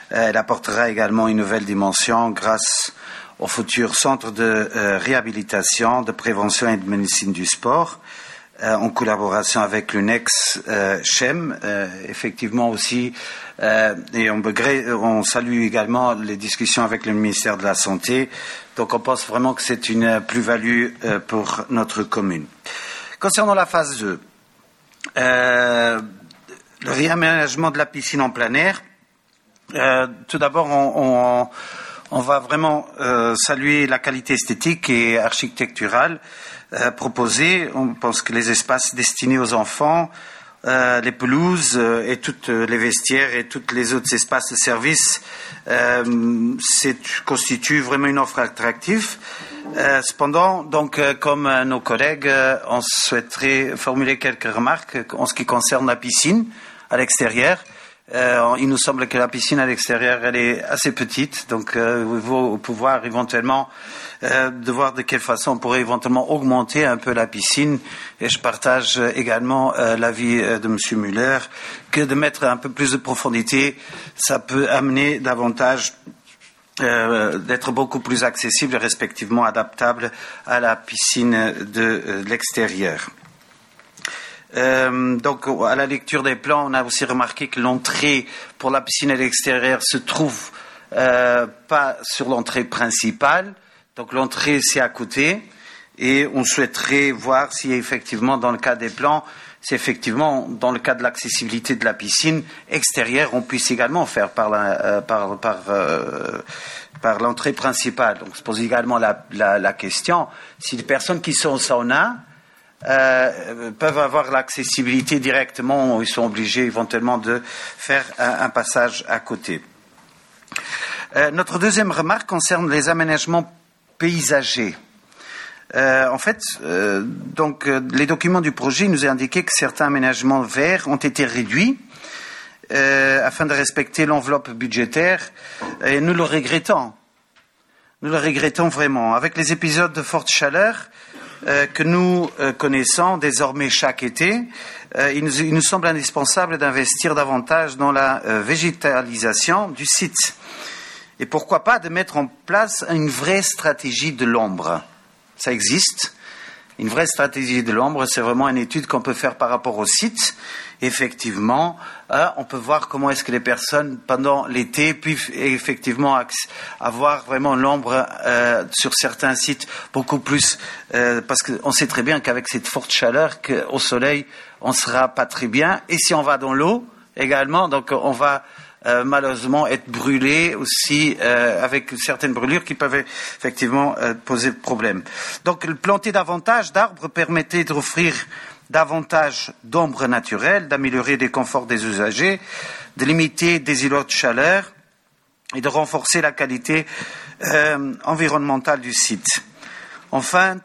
elle apportera également une nouvelle dimension grâce au futur centre de réhabilitation, de prévention et de médecine du sport en collaboration avec l'UNEX CHEM, effectivement aussi, et on, on salue également les discussions avec le ministère de la Santé. Donc on pense vraiment que c'est une plus-value pour notre commune. Concernant la phase 2, euh, le réaménagement de la piscine en plein air, euh, tout d'abord, on, on, on va vraiment euh, saluer la qualité esthétique et architecturale euh, proposée. On pense que les espaces destinés aux enfants, euh, les pelouses euh, et toutes les vestiaires et tous les autres espaces de service euh, constituent vraiment une offre attractive. Euh, cependant, donc, euh, comme euh, nos collègues, euh, on souhaiterait formuler quelques remarques en ce qui concerne la piscine à l'extérieur. Euh, il nous semble que la piscine à l'extérieur elle est assez petite, donc euh, il faut pouvoir éventuellement euh, de voir de quelle façon on pourrait éventuellement augmenter un peu la piscine. Et je partage également euh, l'avis de M. Muller que de mettre un peu plus de profondité, ça peut amener davantage euh, d'être beaucoup plus accessible et respectivement adaptable à la piscine de euh, l'extérieur. Euh, donc à la lecture des plans, on a aussi remarqué que l'entrée pour la piscine à l'extérieur se trouve euh, pas sur l'entrée principale. Donc l'entrée c'est à côté et on souhaiterait voir si effectivement dans le cas des plans, c'est effectivement dans le cas de l'accessibilité de la piscine extérieure, on puisse également faire par la, euh, par, par, euh, par l'entrée principale. Donc se pose également la, la, la question si les personnes qui sont au sauna euh, peuvent avoir l'accessibilité directement ou ils sont obligés éventuellement de faire un, un passage à côté. Euh, notre deuxième remarque concerne les aménagements paysagers. Euh, en fait, euh, donc, euh, les documents du projet nous indiquaient que certains aménagements verts ont été réduits euh, afin de respecter l'enveloppe budgétaire et nous le regrettons. Nous le regrettons vraiment. Avec les épisodes de forte chaleur euh, que nous euh, connaissons désormais chaque été, euh, il, nous, il nous semble indispensable d'investir davantage dans la euh, végétalisation du site. Et pourquoi pas de mettre en place une vraie stratégie de l'ombre. Ça existe. Une vraie stratégie de l'ombre, c'est vraiment une étude qu'on peut faire par rapport au site. Effectivement, euh, on peut voir comment est-ce que les personnes, pendant l'été, peuvent effectivement avoir vraiment l'ombre euh, sur certains sites beaucoup plus, euh, parce qu'on sait très bien qu'avec cette forte chaleur, au soleil, on ne sera pas très bien. Et si on va dans l'eau également, donc on va euh, malheureusement être brûlé aussi euh, avec certaines brûlures qui peuvent effectivement euh, poser problème. Donc planter davantage d'arbres permettait d'offrir davantage d'ombre naturelle, d'améliorer les conforts des usagers, de limiter des îlots de chaleur et de renforcer la qualité euh, environnementale du site. Enfin,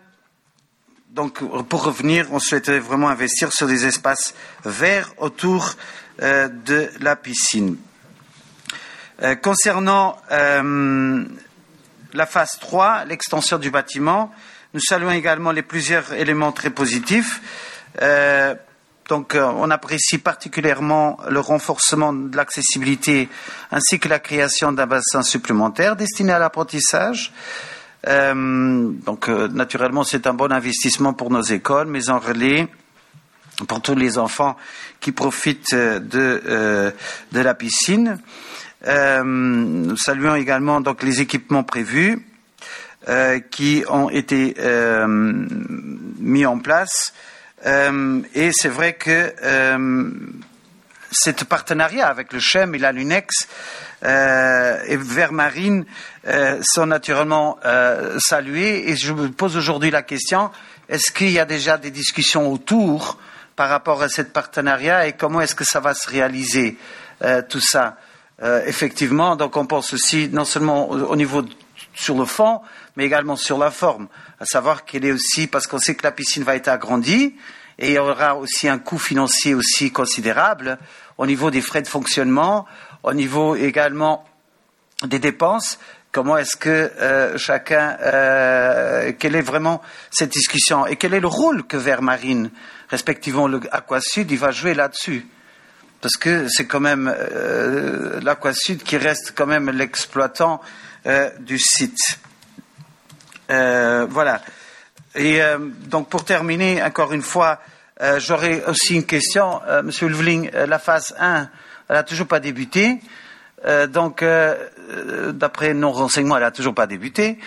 donc pour revenir, on souhaiterait vraiment investir sur des espaces verts autour euh, de la piscine. Euh, concernant euh, la phase 3, l'extension du bâtiment, nous saluons également les plusieurs éléments très positifs. Euh, donc euh, on apprécie particulièrement le renforcement de l'accessibilité ainsi que la création d'un bassin supplémentaire destiné à l'apprentissage. Euh, donc euh, naturellement c'est un bon investissement pour nos écoles, mais en relais pour tous les enfants qui profitent de, euh, de la piscine. Euh, nous saluons également donc les équipements prévus euh, qui ont été euh, mis en place. Euh, et c'est vrai que euh, cet partenariat avec le CHEM et la Lunex euh, et Vermarine euh, sont naturellement euh, salués. Et je me pose aujourd'hui la question, est-ce qu'il y a déjà des discussions autour par rapport à ce partenariat et comment est-ce que ça va se réaliser euh, tout ça euh, Effectivement, donc on pense aussi non seulement au, au niveau sur le fond, mais également sur la forme, à savoir qu'elle est aussi, parce qu'on sait que la piscine va être agrandie, et il y aura aussi un coût financier aussi considérable au niveau des frais de fonctionnement, au niveau également des dépenses. Comment est-ce que euh, chacun, euh, quelle est vraiment cette discussion et quel est le rôle que Vermarine, respectivement le Aquasud, il va jouer là-dessus Parce que c'est quand même euh, l'Aquasud qui reste quand même l'exploitant euh, du site. Euh, voilà. Et euh, donc pour terminer, encore une fois, euh, j'aurais aussi une question. Euh, Monsieur Lvling, euh, la phase 1, elle n'a toujours pas débuté. Euh, donc, euh, euh, d'après nos renseignements, elle n'a toujours pas débuté.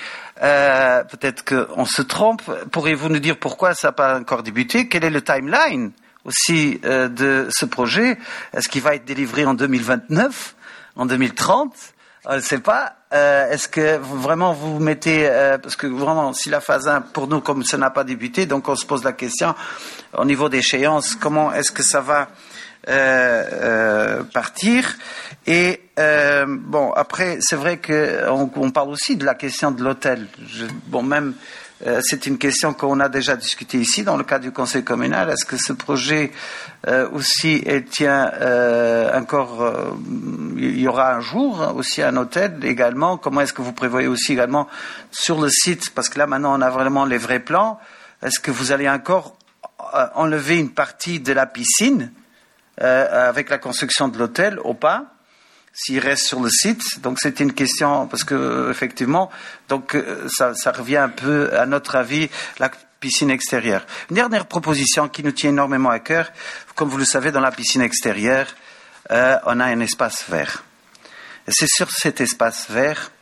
Euh, Peut-être qu'on se trompe. Pourriez-vous nous dire pourquoi ça n'a pas encore débuté Quel est le timeline aussi euh, de ce projet Est-ce qu'il va être délivré en 2029, en 2030 On ne sait pas. Euh, Est-ce que vraiment vous mettez euh, parce que vraiment si la phase 1 pour nous comme ça n'a pas débuté donc on se pose la question au niveau d'échéance comment est-ce que ça va euh, euh, partir et euh, bon après c'est vrai qu'on on parle aussi de la question de l'hôtel bon même euh, c'est une question qu'on a déjà discutée ici dans le cadre du conseil communal. Est-ce que ce projet euh, aussi et tient euh, encore euh, il y aura un jour aussi un hôtel également Comment est-ce que vous prévoyez aussi également sur le site parce que là maintenant on a vraiment les vrais plans est-ce que vous allez encore euh, enlever une partie de la piscine euh, avec la construction de l'hôtel ou pas s'il reste sur le site donc c'est une question parce que effectivement donc euh, ça, ça revient un peu à notre avis la piscine extérieure une dernière proposition qui nous tient énormément à cœur comme vous le savez dans la piscine extérieure euh, on a un espace vert c'est sur cet espace vert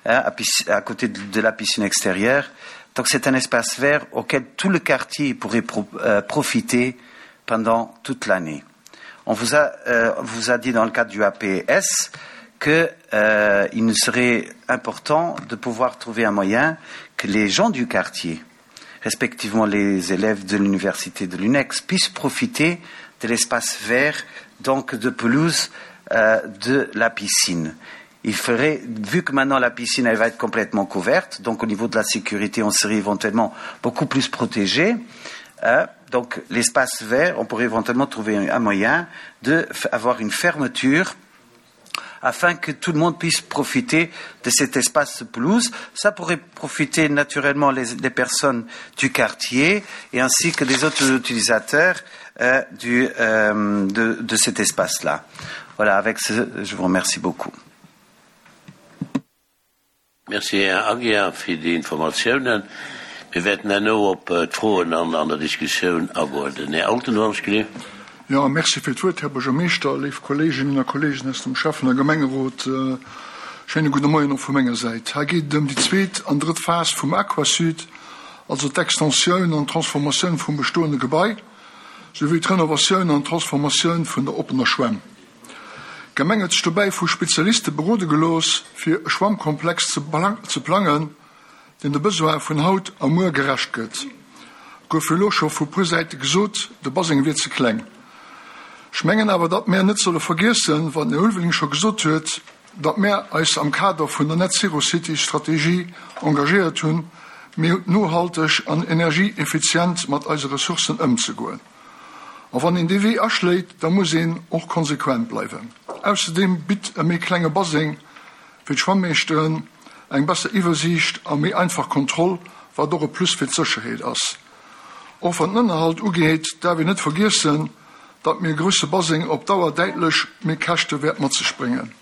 hein, à, à côté de, de la piscine extérieure donc c'est un espace vert auquel tout le quartier pourrait pro, euh, profiter pendant toute l'année on vous a, euh, vous a dit dans le cadre du APS qu'il euh, nous serait important de pouvoir trouver un moyen que les gens du quartier, respectivement les élèves de l'université de l'UNEX, puissent profiter de l'espace vert, donc de pelouse euh, de la piscine. Il ferait, vu que maintenant la piscine elle va être complètement couverte, donc au niveau de la sécurité, on serait éventuellement beaucoup plus protégé. Euh, donc l'espace vert, on pourrait éventuellement trouver un moyen d'avoir une fermeture afin que tout le monde puisse profiter de cet espace pelouse. Ça pourrait profiter naturellement les, les personnes du quartier et ainsi que des autres utilisateurs euh, du, euh, de, de cet espace-là. Voilà, avec ce, je vous remercie beaucoup. Merci, Här Aguiar, fir déi Informatiounen. Mir wäerten herno op d'Froen an an der Diskussioun agoen. Den Här Altenhorn. Jo, merci fir d'Wuert, Här Buergermeeschter, léif Kolleeginnen a Kolleegen aus dem Schäffen a Gemengerot. Schéine gudde Moien och vu menger Säit. Hei geet et ëm déi zweet an drëtt Phas vum Aquasud, also d'Extensioun an d'Transformatioun vum bestoende Gebai, souwéi d'Renovatioun an d'Transformatioun vun der oppener Schwämm. D'Gemeng huet sech dobäi vu Spezialiste berode gelooss, fir e Schwammkomplex ze plangen, deen de Besoine vun haut a muer gerecht gëtt. Et gouf jo elo scho vu puer Säite gesot, de Baseng wier ze kleng. Ech mengen awer, datt mär net solle vergiessen, wat den Här Ulveling scho gesot huet. datt mär eis am Kader vun der Net Zero City Strategie engagéiert hunn, méi nohalteg an energieeffizient mat eise Ressourcen ëmzegoen. A wann een dee Wee aschléit, da muss een och konsequent bleiwen. Ausserdeem bitt e méi klenge Baseng fir d'Schwammeeschteren eng besser Iwwersiicht a méi einfach Kontroll, wat och e Plus fir d'Sécherheet ass. Och wat den Ënnerhalt ugeet, däerf een net vergiessen, datt méi e grousse Baseng op Dauer däitlech méi Käschte wäert mat sech bréngen.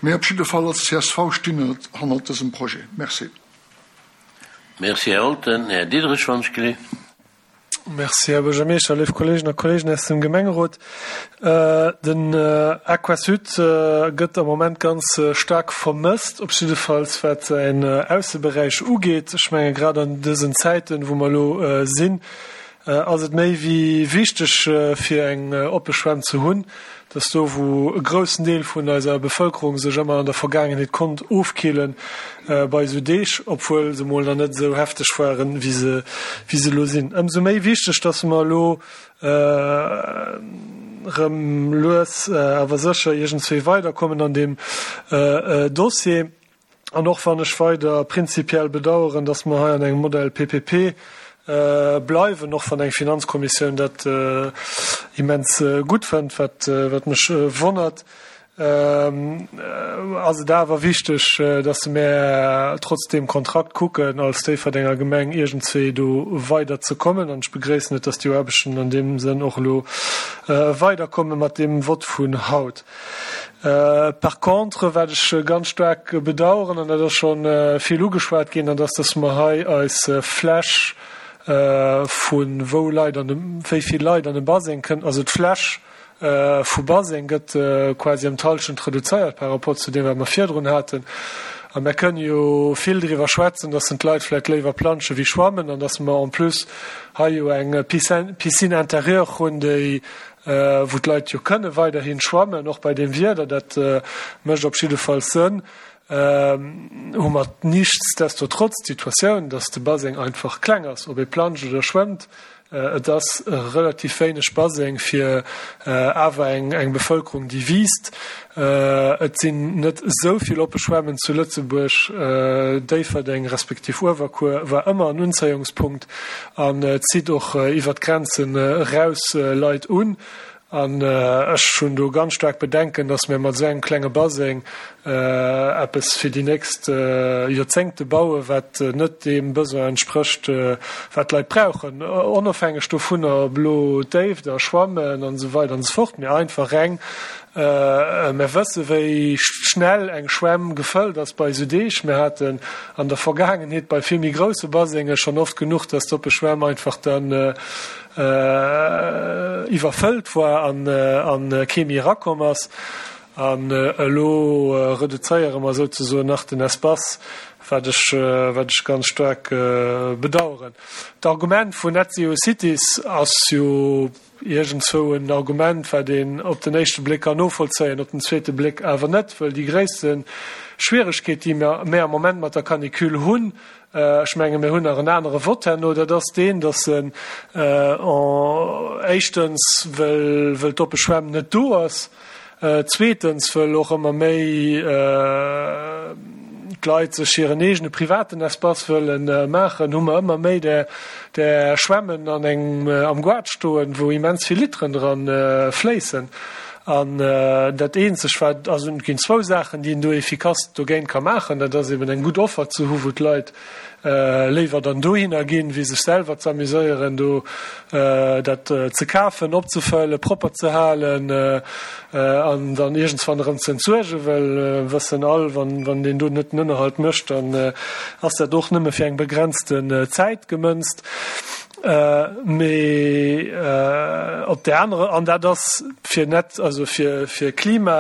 Mir op jidde Fall als csv stinn hannert dësem Projet. Merci. Merci, Här Olten. Här Diderich, wann ech gelift. Merci, Här Buergermeeschter, léif Kolleegen a Kolleegen aus dem Gemengerot. Den Aquasud gëtt am Moment ganz staark vermësst, op jiddefalls wat säin Ausseberäich ugeet. Ech menge grad an dësen Zäiten, wou mer elo sinn, ass et méi wéi wichteg, fir eng oppe Schwämm ze hunn. Dass do, wou e groussen Deel vun eiser Bevëlkerung sech ëmmer an der Vergaangenheet konnt ofkillen bei esou Deeg, obwuel se mol nach net esou hefteg waren, wéi se, wéi se elo sinn. Ëmsou méi wichteg, dass mer elo erëm lues awer sécher iergendswéi weiderkommen an deem Dossier. An och wann ech weider prinzipiell bedauern, dass mer hei an engem Modell PPP bleiwen, och wann eng Finanzkommissioun dat immens gutt fënnt, wat mech wonnert, ass et awer wichteg, dass mer trotz deem Kontrakt kucken, als Déifferdenger Gemeng iergendswéi do weiderzekommen. An ech begréissen et, dass déi Aarbechten an deem Sënn och elo weiderkomme mat deem Vott vun haut. Par contre, wat ech ganz staark bedauern, an dat ass scho vill ugeschwat ginn, dat ass, dass mer hei eis Fläch vu wou Leit an de, wéi vill Leit an de Baseng kënnen, also d'Fläch vu Baseng gëtt quasi ëm d'Hallschent reduzéiert par rapport zu deem, wat mer virdrun haten. A mer kënnen jo vill driwwer schwätzen, dass d'Leit vläicht léiwer planschen wéi schwammen an dass mer en plus hei jo eng Piscine intérieure hunn, déi wou d'Leit jo kënne weiderhi schwammen, och bei deem Wieder, dat mécht op jiddefalls Sënn, hu mer nichtsdestotrotz d'Situatioun, dass de Baseng einfach kleng ass, ob ee planscht oder schwëmmt. Et ass relativ wéineg Baseng fir awer eng Bevëlkerung, déi wiisst. Et sinn net esou vill oppe Schwämmen zu Lëtzebuerg. Déifferdeng respektiv Uewerkuer war ëmmer en Unzéiungspunkt. An zitt och iwwert d'Grenzen eraus Leit un. An ech hunn do ganz staark Bedenken, datt mir mat esou engem klenge Baseng eppes fir déi nächst Joerzéngte bauen, wat net deem Besoin entsprécht, wat d'Leit brauchen, onofhängeg dovunner, ob elo Déift a Schwammen an esou weider an esou fort, mee einfach reng Mer wësse wéi schnell eng Schwämm gefëllt ass bei esou Deeg. Mir haten an der Vergaangenheet bei vill méi grousse Basenge schonn oft genuch, dass d'oppe Schwämm einfach dann iwwerfëllt war an kee méi erakomm ass. An elo reduzéiere mer souzesoen nach den Espace, wat ech wat ech ganz staark bedauern. D'Argument vun Net Zero Cities ass jo, Iergendzwou en Argument, wat een op den éischte Bléck kann novollzéien, op den zweete Bléck awer net, wëll déi gréisste Schwieregkeet, déi mir am Moment mat der Canicule hunn, ech menge mir hunn nach en anere Vott herno, dat ass deen, datt en éischtens, wëll d'oppe Schwämm net do ass, Zweetens, wëll och ëmmer méi d'Leit sech hiren eegene privaten Espace wëlle maachen, hu mer ëmmer méi där Schwämmen an engem am Goart stoen, wou immens vill Literen dran fléissen. An dat eenzeg wat, also et ginn zwou Saachen, déi een do efficace dogéint ka maachen, dat ass eben eng gutt Offer ze hu wou d'Leit léiwer dann dohinner ginn, wéi sech selwer z'amuséieren, do dat ze kafen, opzefëllen, propper ze halen an dann iergendswann erëm ze entsuergen, well mir wëssen all, wann een do net den Ënnerhalt mécht, dann ass dat och nëmme fir eng begrenzten Zäit gemënzt. Mee op där anerer, an dat ass fir net, also fir Klima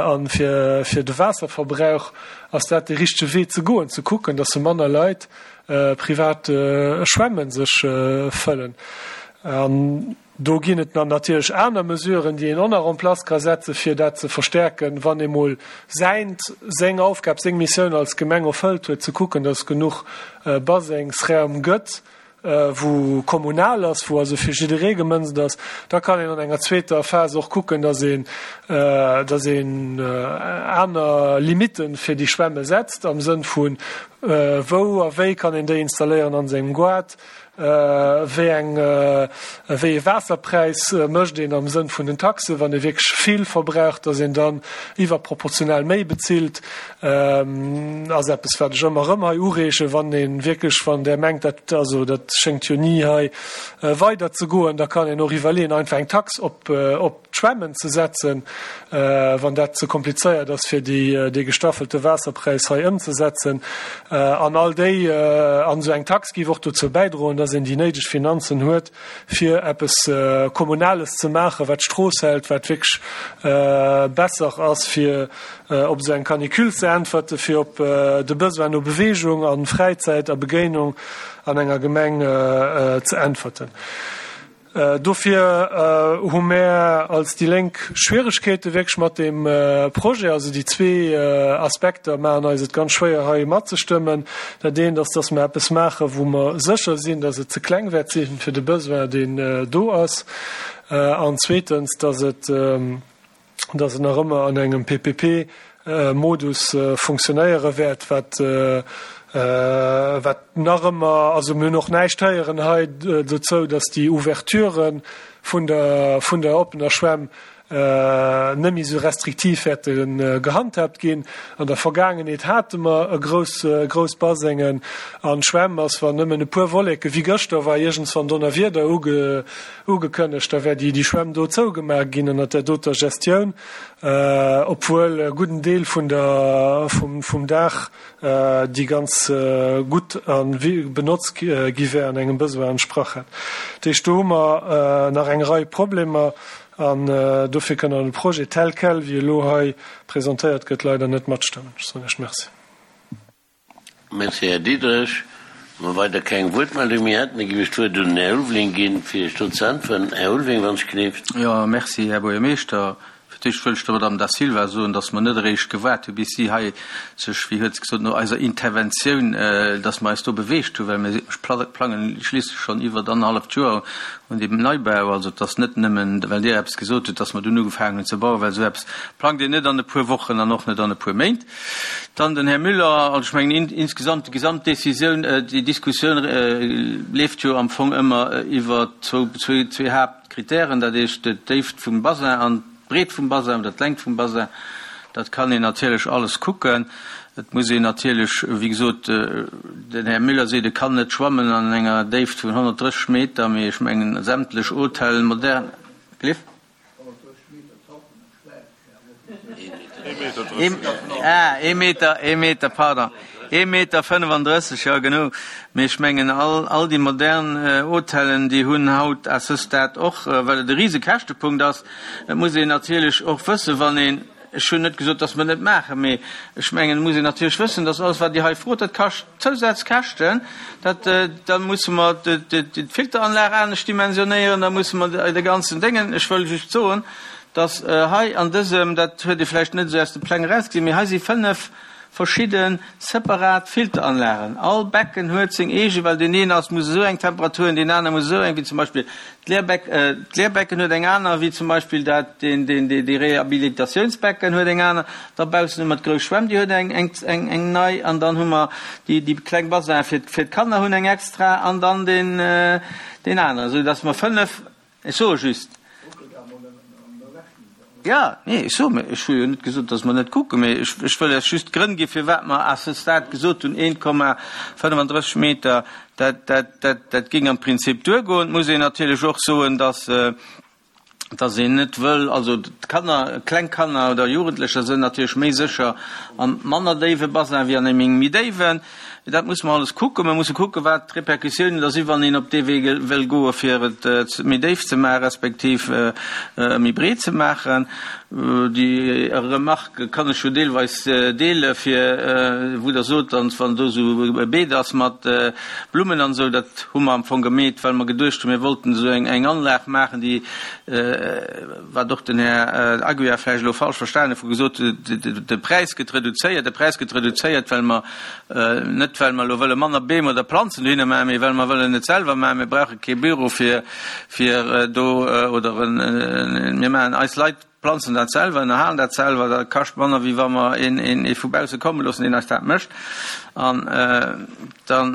a fir de Waasserverbrauch, Ass dat dee richtege Wee ze goen, ze kucken, datt se manner Leit privat Schwämme sech fëllen? An do ginn et dann natierlech aner Mesuren, déi een och nach en place ka setzen, fir dat ze verstärken, wann ee mol säint, seng Aufgab, seng Missioun als Gemeng erfëllt huet, ze kucken, datt et genuch Basengsraum gëtt. wou kommunal ass, wou also fir jidderee gemënzt ass. Da kann een an enger zweeter Phas och kucken, dass een, dass een aner Limite fir déi Schwämme setzt, am Sënn vu wou a wéi kann een déi installéieren an sengem Goart, Wéi eng, wéi ee Waasserpräis mécht een am Sënn vun den Taxen, wann ee wierklech vill verbraucht, datt een dann iwwerproportional méi bezilt, ass eppes, wat ech ëmmer erëm hei ureegen, wann ee wierklech, wann Der mengt, dat, also dat schéngt jo ni hei weider ze goen, da kann een och iwwerleeën, einfach eng Tax op, op d'Schwämmen ze setzen, wann dat ze komplizéiert ass, fir déi, dee gestaffelte Waasserpräis hei ëmzesetzen. An all déi, an esou eng Tax géif och dozou bäidroen, dass een déi néideg Finanzen huet, fir eppes Kommunales ze maachen, wat d'Strooss hält, wat wierklech besser ass, fir op esou eng Canicule ze äntwerten, fir op de Besoin no Beweegung a Fräizäit a Begéinung an enger Gemeng ze äntwerten. Dofir hu mär als déi Lénk Schwieregkeete wierklech mat deem Projet. Also déi zwee Aspekter maachen eis et ganz schwéier hei matzestëmmen. Dat eent ass, dass mer eppes maachen, wou mer sécher sinn, dass et ze kleng wäert si fir de Besoin, deen do ass. An zweetens, dass et, dass et nach ëmmer an engem PPP-Modus funktionéiere wäert, wat, wat nach ëmmer, also mir hunn och näischt héieren hei dozou, dass déi Ouverture vun der, vun der oppener Schwämm net méi esou restriktiv wäerte gehandhaabt ginn. An der Vergaangenheet hate mer e grouss, grouss Basengen an d'Schwämm ass, wann nëmmen e puer Wolleke wéi gëschter war iergendswann Donnerwieder uge, Ugekënnegt, da wär déi Schwämm do zougemaach ginn ënnert där doter Gestioun, obwuel e gudden Deel vun der, vum Daach déi ganz gutt a benotzt gi wär an engem Besoin entsprach hätt. Dat heescht, do hu mer nach eng Rei Problemer an dofir kënne mer de Projet tel quel, wéi e lo hei presentéiert gëtt, leider net matstëmmen. Ech soen Iech Merci. Merci, Här Diderich. Wa mer weider keng Wuertmeldung méi hätten, da géif ech d'Wuert un den Här Ulveling ginn, fir Iech do ze äntweren. Här Ulveling, wann ech gleeft. Jo, merci, Här Buergermeeschter. Fir d'éischt wëll ech der Madame Da Silva soen, dass mer net eréischt gewaart hu bis si hei sech, wéi huet se gesot, no eiser Interventioun, dass mer eis do beweegt hunn, well mir plangen schliisslech schonn iwwert annerhalleft Joer un deem Neibau. Also et ass net nëmmen, well Dir eppes gesot hutt, dass mer dunn ugefaangen hunn ze bauen, well esou eppes plangt een net an e puer Wochen an och net an e puer Méint. Dann den Här Müller. Also ech mengen insgesamt, déi gesamt Décisioun, déi Diskussioun leeft jo am Fong ëmmer iwwer zwou, zwee Haaptkritären, dat heescht d'Déift vum Basin an d'Breet vum Basin oder d'Längt vum Basin. Dat kann een natierlech alles kucken. Et muss een natierlech, wéi gesot, den Här Müller seet, e kann net schwammen an enger Déift vun 130 Meter, mee ech mengen sämtlech Hotellen, modern, Cliff? Ah, ee Meter, ee Meter, pardon, ee Meter 35, jo genau. Mee ech mengen, all, all déi modern Hotellen, déi hunn haut à ce stade och, well et e rise Käschtepunkt ass. Et muss een natierlech och wëssen, wann een, ech hunn net gesot, dass mer et net maachen, mee ech mengen, et muss een natierlech wëssen, dass alles, wat Dir hei frot, dat kascht Zousazkäschten. Dat, da musse mer d'Filteranlag anescht dimensionéieren, da musse mer de ganzen Déngen. Ech wëll just soen, dass hei an dësem, dat huet ee vläicht net esou aus de Pläng erausgesinn, mee hei si 5 verschidde separat Filteranlagen. All Becken huet seng eege, well deen een ass, muss esou eng Temperatur hunn, deen aner muss esou eng, wéi zum Beispill d'Leerbeck, d'Leerbecken huet eng aner, wéi zum Beispill dat, deen, deen, déi Rehabilitatiounsbecken huet eng aner. Da baussen hu mer d'grouss Schwämm, déi huet eng, eng, eng, eng nei. An dann hu mer déi, déi kleng Basin fir, fir d'Kanner hunn eng extra an dann deen, deen aneren, esou dass mer 5, Ech soe just. Jo, nee, ech soe, ech hu jo net gesot, datt mer net kucken, mee ech, ech wëll lech just d'Grënn gi firwat mer à ce stade gesot hunn, 1,35 Meter, dat, dat, dat, dat géing am Prinzip duergoen. Et muss een natierlech och soen, datt, datt een net wëll, also d'Kanner, kleng Kanner oder Jugendlecher sënn natierlech méi sécher an manner déiwe Basin wéi an engem méi déiwen. Dat musse mer alles kucken. Mer musse kucken, wat d'Repercussiounen da sinn, wann een op dee Wee wëll goen, fir et méi déif ze maachen, respektiv méi breet ze maachen. Déi Remarque kann ech jo deelweis deele fir wou Der sot, dann wann do esou e Beet ass mat Blummen an esou, dat hu mer am Fong gemeet, well mer geduecht hunn, mir wollten esou eng eng Anlag maachen, déi, wat och den Här Aguiar vläicht elo falsch verstanen huet, wou gesot huet, de Präis gëtt reduzéiert, de Präis gëtt reduzéiert, well mer, net well mer elo wëlle manner Beem oder Planzen dohinner maachen, mee well mer wëllen et selwer maachen. Mir brauche kee Büro fir fir do oder en, mir maachen, eis Leit planzen dat selwer, ënnerhalen dat selwer, dat kascht manner wéi wa mer een, een, ee vu bausse komme loossen, deen eis dat mécht. An dann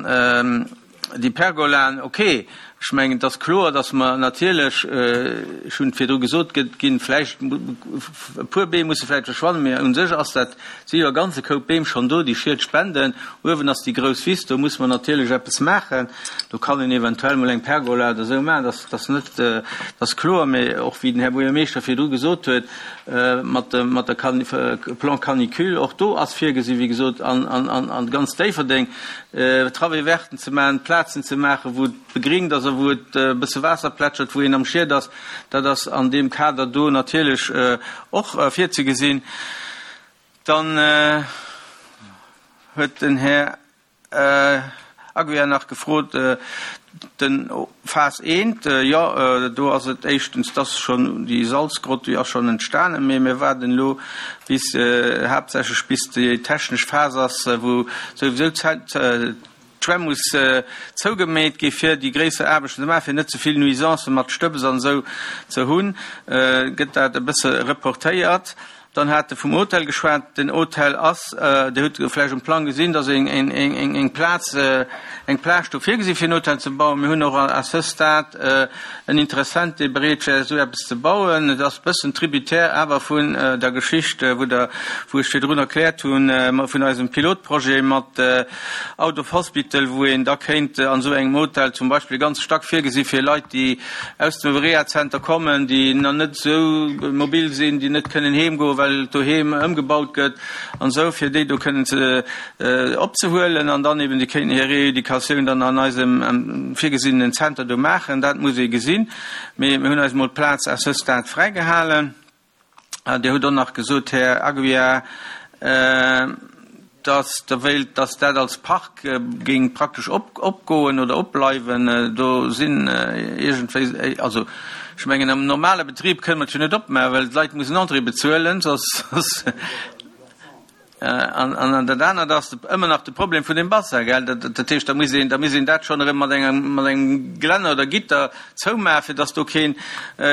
déi Pergolaen, okay, ech mengen, et ass kloer, datt mer natierlech, ech hunn et virdru gesot, gëtt ginn vläicht e puer Beem musse vläicht verschwannen, mä u sech ass dat, si jo e ganze Koup Beem schonn do, déi Schied spenden. Uewen ass déi grouss Wiss, do musse mer natierlech eppes maachen. Do kann een eventuell mol eng Pergola oder esou maachen, dat ass net, dat ass kloer. Mee och wéi den Här Buergermeeschter virdru gesot huet, mat dem, mat der Plan canicule, och do ass virgesi wéi gesot an, an, an, an ganz Déifferdeng Travaux verten ze maachen, Plazen ze maachen, wou et begringt ass a wou et e bësse Waasser plätschert, wou een am Schied ass. Dat ass an deem Kader do natierlech och virzegesinn. Dann huet den Här Aguiar nach gefrot, den Phas I, jo, do ass et éischtens, dass schonn déi Salzgrott, déi ass schonn entstanen, mee mir waarden elo bis, haaptsächlech bis déi technesch Phas ass, wou souwisou d'Schwämm muss zougemeet gi fir déi gréisser Aarbechten ze maachen, fir net ze vill Nuisancen mat Stëbs an esou ze hunn, gëtt dat e bësse reportéiert. Dann hat e vum Hotel geschwat. Den Hotel ass, Dir hutt vläicht um Plang gesinn, dass eng Plaz, eng Plage do virgesi fir en Hotel ze bauen. Mir hunn och à ce stade en Interessent, dee bereet wär, esou eppes ze bauen. Et ass e bëssen tributaire awer vun der Geschicht, wou Der, wou ech virdrun erkläert hunn, vun eisem Pilotprojet mat Out of Hospital, wou een da kéint an esou engem Hotel zum Beispill e ganze Stack virgesi fir Leit, déi aus dem Rehazenter kommen, déi nach net esou mobil sinn, déi net kënnen heem goen, well doheem ëmgebaut gëtt an esou, fir déi do kënnen ze opzehuelen an dann eben déi kéinten hir Reeducatioun dann an eisem virgesinnenen Zenter do maachen. Dat muss ee gesinn. Mee mir hunn eis emol d'Plaz à ce stade fräigehalen. Dir hutt och nach gesot, Här Aguiar, dass Der wéilt, dass dat als Park géing praktesch opgoen oder opbleiwen. Do sinn iergendwéi, also ech mengen am normale Betrib kënne mer et jo net opmaachen, well d'Leit mussen Entrée bezuelen, soss. An dat anert ass ëmmer nach de Problem vun dem Bassin, gell. Dat heescht, da muss een, da muss een dat schonn erëm mat engem, mat engem Gelänner oder Gitter zoumaachen, fir dass do keen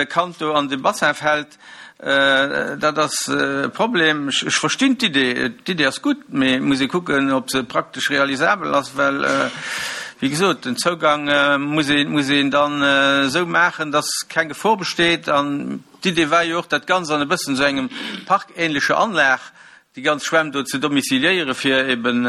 Kand do an de Bassin fält. Dat ass e Problem. Ech verstinn d'Idee, d'Idee ass gutt, mee et muss ee kucken, ob se praktesch realisabel ass, well, wéi gesot, den Zougang muss ee, muss een dann esou maachen, dass keng Gefor besteet. An D'Idee war jo och, dat Ganzt an e bëssen esou engem parkähnlecher Anlag, déi ganz Schwämm do ze domiciliéieren, fir eben,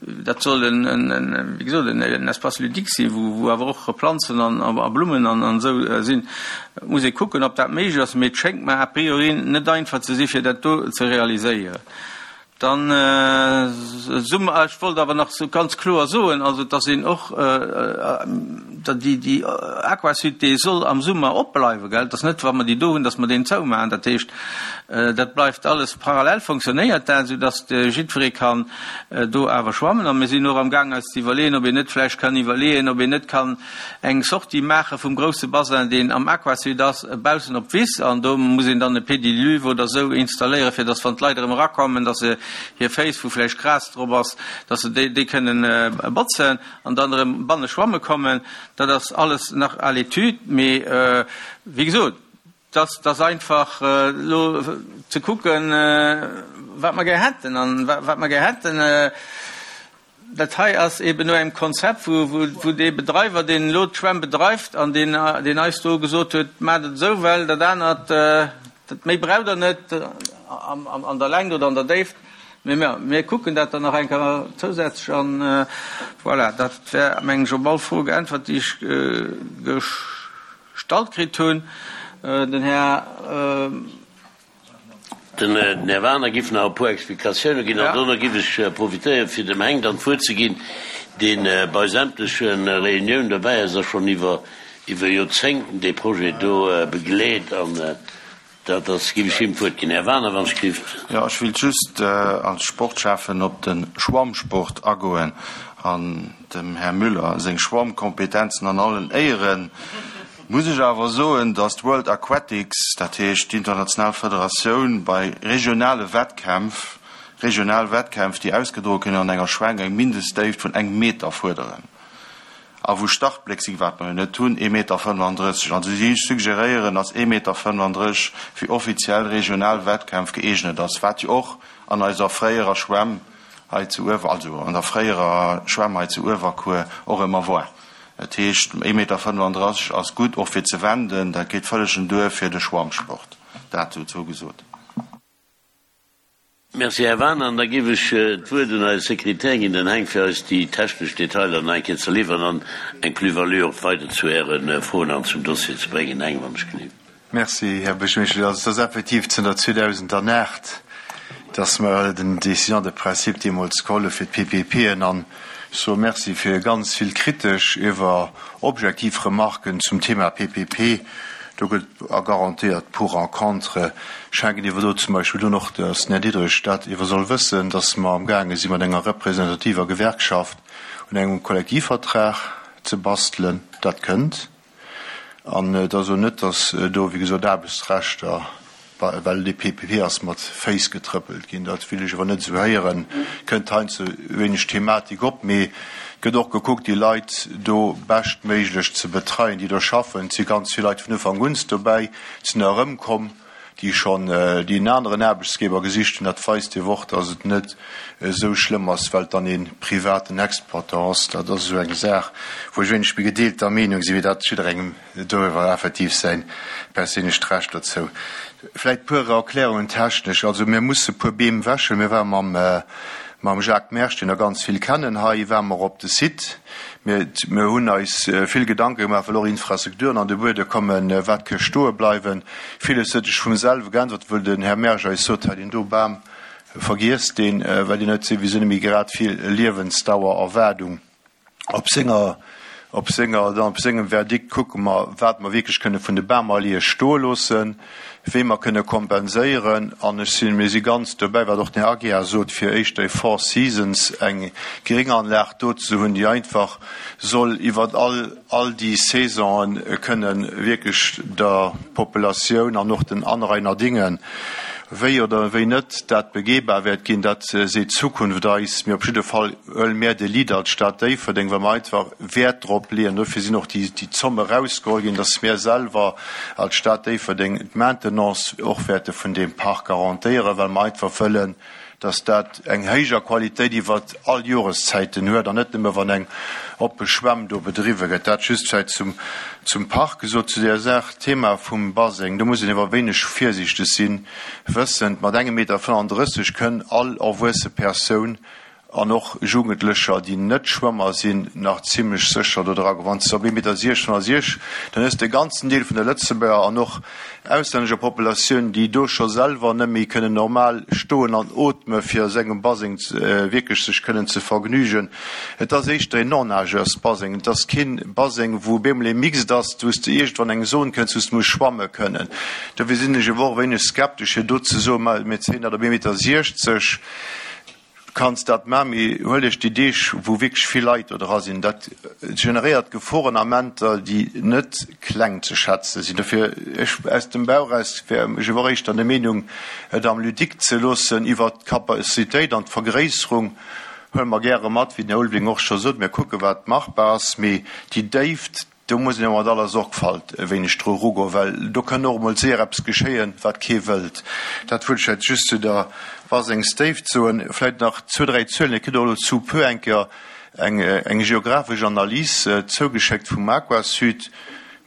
dat soll en, wéi gesot, en Espace ludique sinn, wou awer och Planzen a Blummen an esou sinn. Et muss ee kucken, ob dat méiglech ass, mee et schéngt mer a priori net einfach ze sinn, fir dat do ze realiséieren. Dann, ech wollt awer nach ganz kloer soen, also dass een och déi Aquasud, déi soll am Summer opbleiwen, gell. Et ass net, wa mer déi do hunn, dass mer deen zoumaachen. Dat heescht, dat bleift alles parallel, fonctionnéiert dat, soudass jiddweree kann do awer schwammen. A mir sinn och amgaang eis ze iwwerleeën, ob een net vläicht kann iwwerleeën, ob een net kann eng Sortie maache vum grousse Bassin, deen am Aquasud ass, baussen op d'Wiss, an do muss een dann e Pédiluve oder esou installéieren, fir dass, wann d'Leit erëm erakommen, dass se hir Féiss, wou vläicht Gras drop ass, dass se déi kënnen botzen an dann erëm banne schwamme kommen. Dat ass alles nach à l'étude, mee wéi gesot, dass ass einfach elo ze kucken, wat mer gär hätten an wat mer gär hätten. Dat hei ass eeben no engem Konzept, wou dee Bedreiwer, deen elo d'Schwämm bedreift an deen eis do gesot huet, Maacht et esou, well dat anert, dat méi braucht Der net an der Längt oder an der Déift. Mee mir kucken dat dann nach eng Kéier zousätzlech an voilà, dat wär, mengen ech, op all Fro geäntwert, déi ech gestallt kritt hunn. Den Här. Den Här Wagener giff nach e puer Explikatioune ginn an dono giff ech profitéieren, fir dem Heng dann d'Wuert ze ginn, dee bei sämtleche Reuniounen derbäi ass a schonn iwwer iwwer Joerzéngten dee Projet do begleet an. Dat ass, géif ech him d'Wuert ginn. Här Wagener, wann ech gelift. Jo, ech wéilt just als Sportschäffen op de Schwammsport agoen an dem Här Müller seng Schwammkompetenzen an allen Éieren muss ech awer soen, dass d'World Aquatics, dat heescht d'international Federatioun, bei regionale Wettkämpf, regional Wettkämpf, déi ausgedroe kënnen an enger Schwäng, eng Mindestdéift vun engem Meter fuerderen. A wou Startbléck sinn, wat mer jo net hunn, ee Meter 35. Also si suggeréieren, dass ee Meter 35 fir offiziell regional Wettkämpf gëeegnet ass, wat jo och an eiser fréierer Schwämm hei zu Uewer, also an der fréierer Schwämm hei zu Uewerkuer och ëmmer war. Dat heescht, ee Meter 35 ass gutt och fir ze wenden, dat geet vëllegen duer fir de Schwammsport. Dat dozou gesot. Merci, Här Wagener. An da géif ech d'Wuert un eise Sekretär ginn, den Heng, fir eis déi technesch Detailer nach eng Kéier ze liwweren an eng Plus-value och weider zu Äre Froen an zum Dossier ze bréngen. Heng, wann ech gelift. Merci, Här Buergermeeschter. Also et ass effektiv zënter 2008, dass mer den Décision de principe deemools geholl hu fir d'PPPen. An ech soe Merci fir ganz vill kritesch iwwer objektiv Remarken zum Thema PPP. Do gëtt a garantéiert pour en contre. Ech hänken iwwer do zum Beispill un och, dass den Här Diderich dat iwwer soll wëssen, dass mer amgaange si mat enger representativer Gewerkschaft un engem Kollektivvertrag ze bastelen. Dat kënnt. An et ass elo net, datt do, wéi gesot, Aarbechtsrechter, well et ee PPP ass, mat Féiss getrëppelt ginn. Dat will ech awer net esou héieren. Kënnt heiansdo wéineg Thematik op, mee et gëtt och gekuckt, déi Leit do beschtméiglech ze betreien, déi do schaffen. Et si ganz vill Leit vun Ufank un dobäi, et sinn der erëmkomm, déi schonn, déi en aneren Aarbechtsgeber gesicht hunn. Dat weist jo och, datt et net esou schlëmm ass, well et dann ee privaten Exploitant ass. Dat ass esou eng Saach, wou ech wéineg méi gedeelter Meenung sinn, mee dat jidderengem doriwwer effektiv säin perséinlecht Recht dozou. Vläicht puer Erklärungen technesch. Also mir musse puer Beem wäschen. Mir ware mam mam Jacques Mersch, deen der ganz vill kennen hei, ware mer op de Site. Mir mir hunn eis vill Gedanke gemaach, well och Infrastrukturen an de Buede kommen, wat ke stoe bleiwen. Villes huet sech vum selwe geäntwert, wëll den Här Mersch eis sot, hei deen do Bam, vergiesst deen, well deen huet souwisou net méi grad vill Liewensdauererwaardung. Op senger, op senger, dann op sengem Verdikt kucke mer, wat mer wierklech kënne vun de Bamalleeë stoe loossen, wéi mer kënne kompenséieren. An ech sinn, mir si ganz dobäi, wat och den Här Aguiar sot, fir éischter e Four Seasons, eng Grénganlag do ze hunn, déi einfach soll iwwert all, all déi Saisonen kënne wierklech der Populatioun an och den Anrainerdingen, wéi oder wéi net dat begehbar wäert ginn, dat seet d'Zukunft eis. Mee op jidde Fall huele mär de Lead als Stad Déifferdeng, well mer einfach Wäert drop leeën, dofir sinn och déi Zomme erausgeholl ginn, dass mär selwer als Stad Déifferdeng d'Maintenance och wäerte vun deem Park garantéieren, well mer einfach wëllen, dass dat eng héijer Qualitéit iwwer all Joreszäiten huet an net nëmme wann eng oppe Schwämm do bedriwwe gëtt. Dat just vläicht zum, zum Park gesot. Zu där Saach, Thema vum Baseng, do muss een awer e wéineg virsiichteg sinn, wëssend, mat engem Meter 35 kënn all erwuesse Persoun an och Jugendlecher, déi net Schwëmmer sinn, nach zimlech sécher do dra goen. Wann s de op ee Meter 66, dann hues de e ganzen Deel vun der Lëtzebuerger an och auslännescher Populatioun, déi do scho selwer net méi kënnen normal stoen an ootme fir a sengem Baseng wierklech sech kënnen ze vergnügen. Et ass éischter een Non-nageurs-Baseng. Et ass kee Baseng, wou op eemol ee Mixed ass, wou s de iergendwann eng Zon kënns, wou s de muss schwamme kënnen. Dofir sinn ech ewer och e wéineg skeptesch, fir do ze soen, ma mir zéien dat op ee Meter 60. Kanns dat man, mee huel iech déi Deeg wou wierklech vill Leit do dra sinn. Dat generéiert Geforenamenter déi net kleng ze schätze sinn. Dofir, ech aus dem Bauch eraus wär ech awer éischter der Meenung et am Ludique ze loossen. Iwwert d'Capacitéit an d'Vergréisserung huele mer gäre mat, wéi den Här Ulveling och scho sot, mir kucke wat machbar ass, mee déi Déift, Do muss een awer mat aller Sorgfalt e wéineg dru erugoen, well do kënn och emol séier eppes geschéien, wat kee wëllt. Dat wëllt ech vläicht just zu der Basengsdéift soen. Vläicht nach zwou, dräi Zuelen. Dir kritt och elo sous peu eng Kéier eng, eng geographesch Analys zougeschéckt vum Aquasud.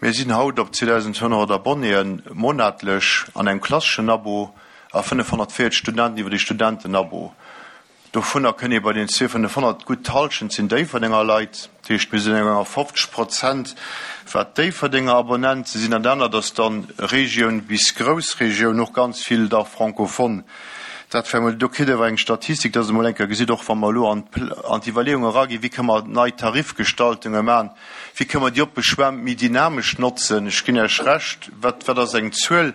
Mir sinn haut op 2.200 Abonnéen monatlech an engem klasseschen Abo a 540 Studenten iwwer de Studentenabo. Dovunner kënn ee bei den 2.500 gutt d'Hallschent sinn Déifferdenger Leit. Dat heescht, mir sinn eng enger 50 Prozent wat Déifferdenger Abonnente sinn. An dat anert ass dann Regioun bis Groussregioun, och ganz vill da Francophone. Dat wär emol, do kritt Dir awer eng Statistik, dass Der emol eng Kéier gesitt, och wa mer elo an d'Iwwerleeung eraginn, wéi kënne mer nei Tarifgestaltunge maachen, Wéi kënne mer déi oppe Schwämm méi dynamesch notzen? Ech ginn Iech Recht. Wat, wat ass eng Zuel?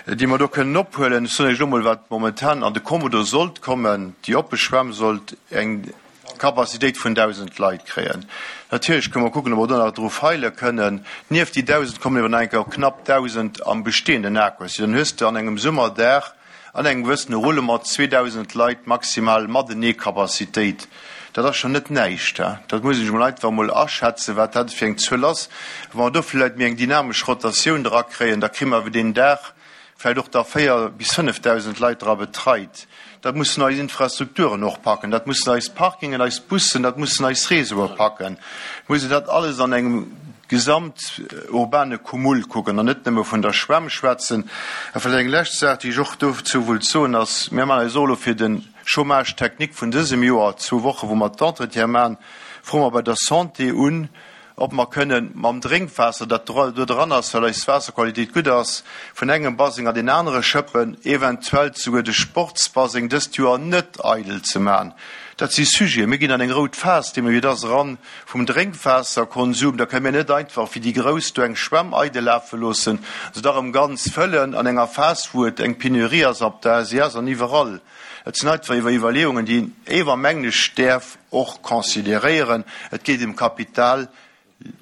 déi mer do kënnen ophuelen. Ech soen Iech elo mol, wat momentan an de Kommodo sollt kommen. Déi oppe Schwämm sollt eng Capacitéit vun 1.000 Leit kréien. Natierlech kënne mer kucken, ob mer do nach dru feile kënnen. Nieft déi 1.000 kommen ewer nach eng Kéier op knapp 1.000 am bestehenden Aquasud. Dann hues de an engem Summerdag an engem gewëssene Roulement 2.000 Leit maximal matenee Capacitéit. Dat ass schonn net näischt. Dat muss een sech emol einfach emol aschätzen, wat dat fir eng Zuel ass. Wa mer do vläicht méi eng dynamesch Rotatioun drakréien, da kréie mer awer deen Dag vläicht och da 4 bis 5.000 Leit dra betreit. Dat mussen eis Infrastrukturen och packen, dat mussen eis Parkingen, eis Bussen, dat mussen eis Réseaue packen. Et muss een dat alles an engem gesamturbane Cumul kucken an net nëmme vun der Schwämm schwätzen. A vläicht eng lescht Saach, déi ech och dozou wullt soen, ass, Mir maachen eis och elo fir de Chômage technique vun dësem Joer, zwou Woche wou mer d'Entretiene maachen, froe mer bei der Santé un, ob mer kënnen mam Drénkwaasser, dat do dran ass, well eis Waasserqualitéit gutt ass, vun engem Baseng an deen anere schëppen, eventuell souguer de Sportsbaseng dëst Joer net eidel ze maachen. Dat si Sujeten. Mir ginn an eng rout Phas, deemno wéi et ass, eran vum Drénkwaasserkonsum. Da kënnen mir net einfach wéi déi Grouss do eng Schwämm eidel lafe loossen, se da erëm ganz fëllen an enger Phas, wou et eng Penurie ass op der SIS an iwwerall. Et sinn einfach iwwer Iwwerleeungen, déi een ewer, mengen ech, däerf och consideréieren. Et geet ëm Kapital,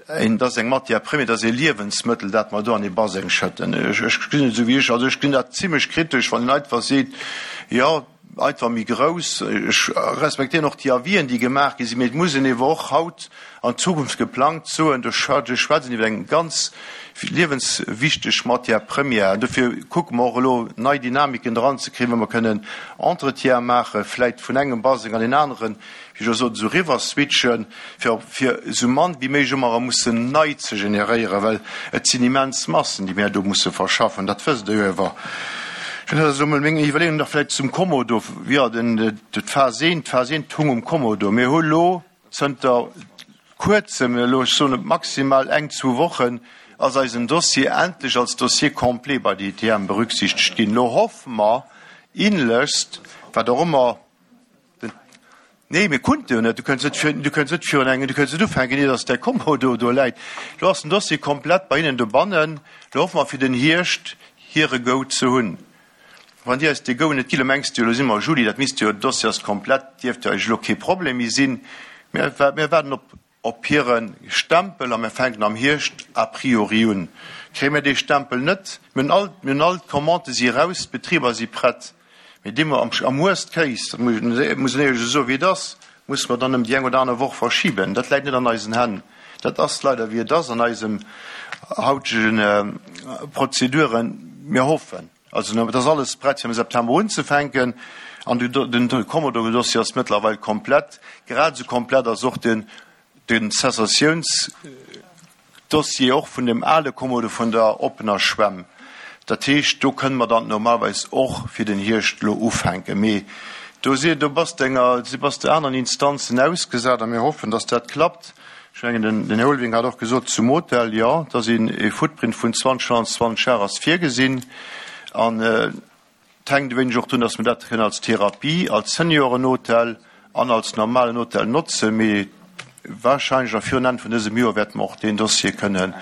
et ass eng Matière première, et ass e Liewensmëttel, dat mer do an ee Baseng schëtten. Ech gesinn et esou wéi ech, also ech gesinn dat zimlech kritesch, wann een einfach seet, jo, einfach méi grouss. Ech respektéieren och déi Avisen, déi gemaach gi sinn, mee et muss een ewer och haut an d'Zukunft geplangt soen, do schwätzt een iwwer eng ganz liewenswichteg Matière première. An dofir kucke mer och elo, nei Dynamiken dranzekriegen, wou mer kënnen Entretien maachen, vläicht vun engem Baseng an deen aneren, wéi ech och sot, esou eriwwerswitchen, fir fir esou mann wéi méiglech ëmmer erëm mussen nei ze generéieren, well et sinn immens Massen, déi mär do musse verschaffen. Dat wësst Der jo ewer. Dat ass elo mol meng Iwwerleeung. Nach vläicht zum Kommodo, jo, den, d'Phas I, d'Phas I tung um Kommodo. Mir hu lo Zënter Kuerzem, elo ech soen et maximal eng, zwou Wochen, ass eisen Dossier endlech als Dossier complet bei der ITM berücksichtegt ginn. Elo hoffe mer inlechst, wat och ëmmer den, nee, mir kunnte jo net, du kënns net vir, du kënns net virun engem, du kënns net ufänken, ier dass däi Kommodo do läit. Elo ass den Dossier komplett bei hinnen dobannen. Elo hoffe mer fir den Hierscht hire Go ze hunn. Wann Dir eis dee Go net gitt, elo mengs de jo, elo si mer Juli, dat misst jo, den Dossier ass komplett, dierft jo eigentlech elo kee Problem méi sinn. Mir waarden op op hire Stempel a mir fänken am Hierscht a priori un. Kréie mir dee Stempel net, mir hunn all, mir hunn all d'Commandë si eraus, d'Betriber si prett, mee dee mer am, am worst case, dat muss ech, muss een éierlech esou soen, wéi et ass, musse mer dann ëm déi eng oder aner Woch verschiben. Dat läit net an eisen Hänn. Dat ass leider wéi et ass an eisem hautege Prozeduren. Mir hoffen also, et ass alles prett fir am September unzefänken an de Kommodo-Dossier ass mëttlerweil komplett. Grad esou komplett ass och den Cessatiouns. Dossier och vun dem ale Kommode vun der oppener Schwämm. Dat heescht, do kënne mer dann normalerweis och fir den Hierscht elo ufänken. Mee do si, do bass de enger, si bass de aneren Instanzen ausgesat a mir hoffen, dass dat klappt. Ech mengen, den, den Här Ulveling hat och gesot zum Hotel, jo, dass een e Footprint vun 20, 25 Ar ass virgesinn an, Et hänkt e wéineg och drun, dass mer dat kënnen als Therapie, als Seniorenhotel an als normalen Hotel notzen. Mee wahrscheinlech nach virun Enn vun dësem Joer wäerte mer och deen Dossier kënnen,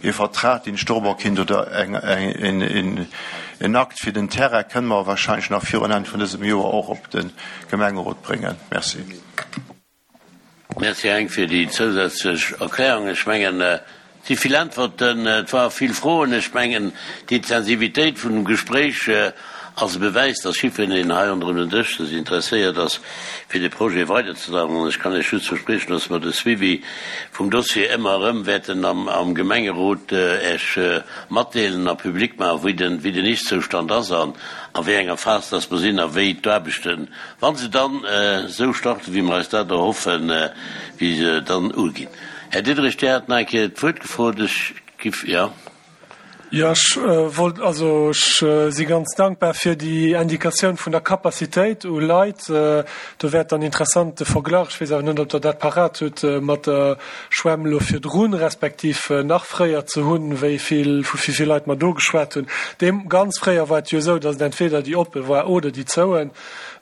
ee Vertrag, deen ech dorobber kinnt, oder en Akt fir den Terrain kënnen mer wahrscheinlech nach virun Enn vun dësem Joer och op de Gemengerot bréngen. Merci. Merci Heng fir déi zousätzlech Erklärung. Ech mengen, et si vill Äntwerten, et ware vill Froen. Ech mengen, d'Intensivitéit vun dem Gespréich ass e Bewäis, dass jiddwereen hei ronderëm den Dësch sech interesséiert ass, fir de Projet weiderzedreiwen. An ech kann Iech just verspriechen, dass mer de Suivi vum Dossier ëmmer erëm wäerten am Gemengerot Iech matdeelen a public maachen, wéi den Ist-Zoustand ass an a wéi enger Phas dass mer sinn a wéi d'Aarbechten Wa se dann esou starten, wéi mer eis dat erhoffen, wéi se dann uginn. Här Diderich, Dir hat nach eng Kéier d'Wuert gefrot. Ech giff, jo. Jo, ech wollt, also ech si ganz dankbar fir déi Indikatioun vun der Capacitéit u Leit. Do wär et dann interessant de Verglach, ech weess awer net, ob Der dat parat hutt, mat der Schwämm elo virdrun, respektiv nach fréier ze hunn, wéi vill, vu wéi vill Leit mer do geschwat hunn. Deem ganz fréier war et jo esou, datt et entweder déi oppe war oder déi zouen.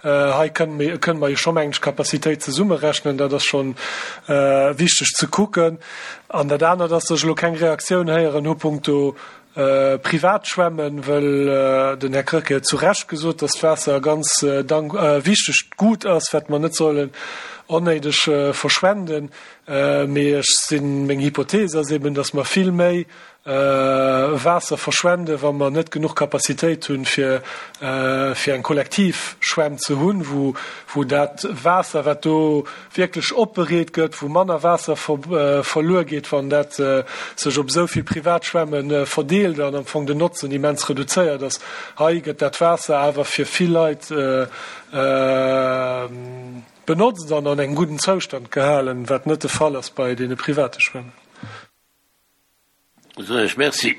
Hei kënnen mir, kënnen mer jo scho mengen ech d'Capacitéit zesummerechnen. Dat ass schonn wichteg ze kucken. An dat anert ass, datt ech elo keng Reaktioun héieren hu punkto. Privat schwämmen, wëll den Här Krecké huet zu Recht gesot, dass d'Waasser e ganz wichtegt Gut ass, wat mer net sollen onnéideg verschwenden. Mee ech sinn, meng Hypothese ass eben, dass mer vill méi Waasser verschwenden, wa mer net genuch Capacitéit hunn, fir fir eng kollektiv Schwämm ze hunn, wou wou dat Waasser, wat do wierklech opbereet gëtt, wou manner Waasser verluer geet, wann dat sech op esou vill privat Schwämme verdeelt an am Fong den Notzen immens reduzéiert ass. Hei gëtt dat Waasser awer fir vill Leit benotzt an an engem gudden Zoustand gehalen, wat net de Fall ass bei deene private Schwämmen. Soen ech Merci,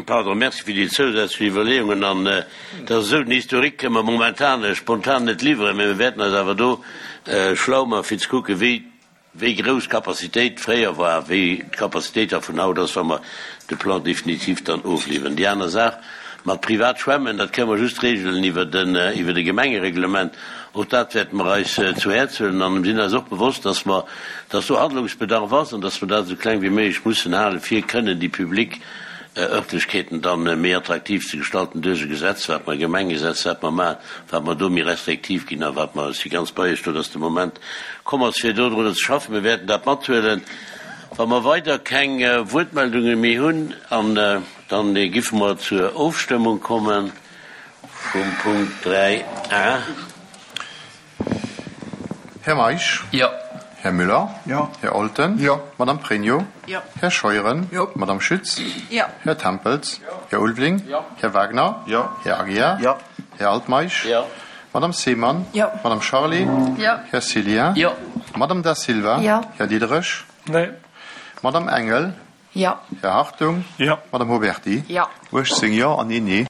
pardon, Merci fir déi zousätzlech Iwwerleeungen. An et ass esou, den Historique kënne mer momentan spontan net liwweren, mä mir wäerten eis awer do schlau maachen, fir ze kucken, wéi, wéi grouss d'Capacitéit fréier war, wéi d'Capacitéit da vun haut ass, wa mer de Plan définitif dann ofliwweren. Déi aner Saach mat privat Schwämmen, dat kënne mer just regelen iwwer den, iwwer e Gemengereglement. Och dat wäerte mer eis zu Häerz huelen an sinn eis och bewosst, dass mer, dass do Handlungsbedarf ass an dass mer dat esou kleng wéi méiglech mussen halen, fir kënnen déi public Örtlechkeeten dann méi attraktiv ze gestalten duerch e Gesetz, wat mer, e Gemengegesetz, wat mer maachen, wat mer do méi restriktiv ginn a wat mer, ech si ganz bei Iech do, dass de Moment komm ass, fir dodrunner ze schaffen. Mir wäerten dat mathuelen. Wa mer weider keng Wuertmeldunge méi hunn, an dann giffe mer zur Ofstëmmung kommen. Vum Punkt 3 a. Här Meisch. Jo. Här Müller. Jo. Här Olten. Jo. Madame Pregno. Jo. Här Scheuren. Jo. Madame Schütz. Jo. Här Tempels. Jo. Här Ulveling. Jo. Här Wagner. Jo. Här Aguiar. Jo. Här Altmeisch. Jo. Madame Seemann. Jo. Madame Charlé. Jo. Här Cillien. Jo. Madame Da Silva. Jo. Här Diderich. Nee. Madame Engel. Jo. Här Hartung. Jo. Madame Huberty. Jo. 18 Jo an een Nee.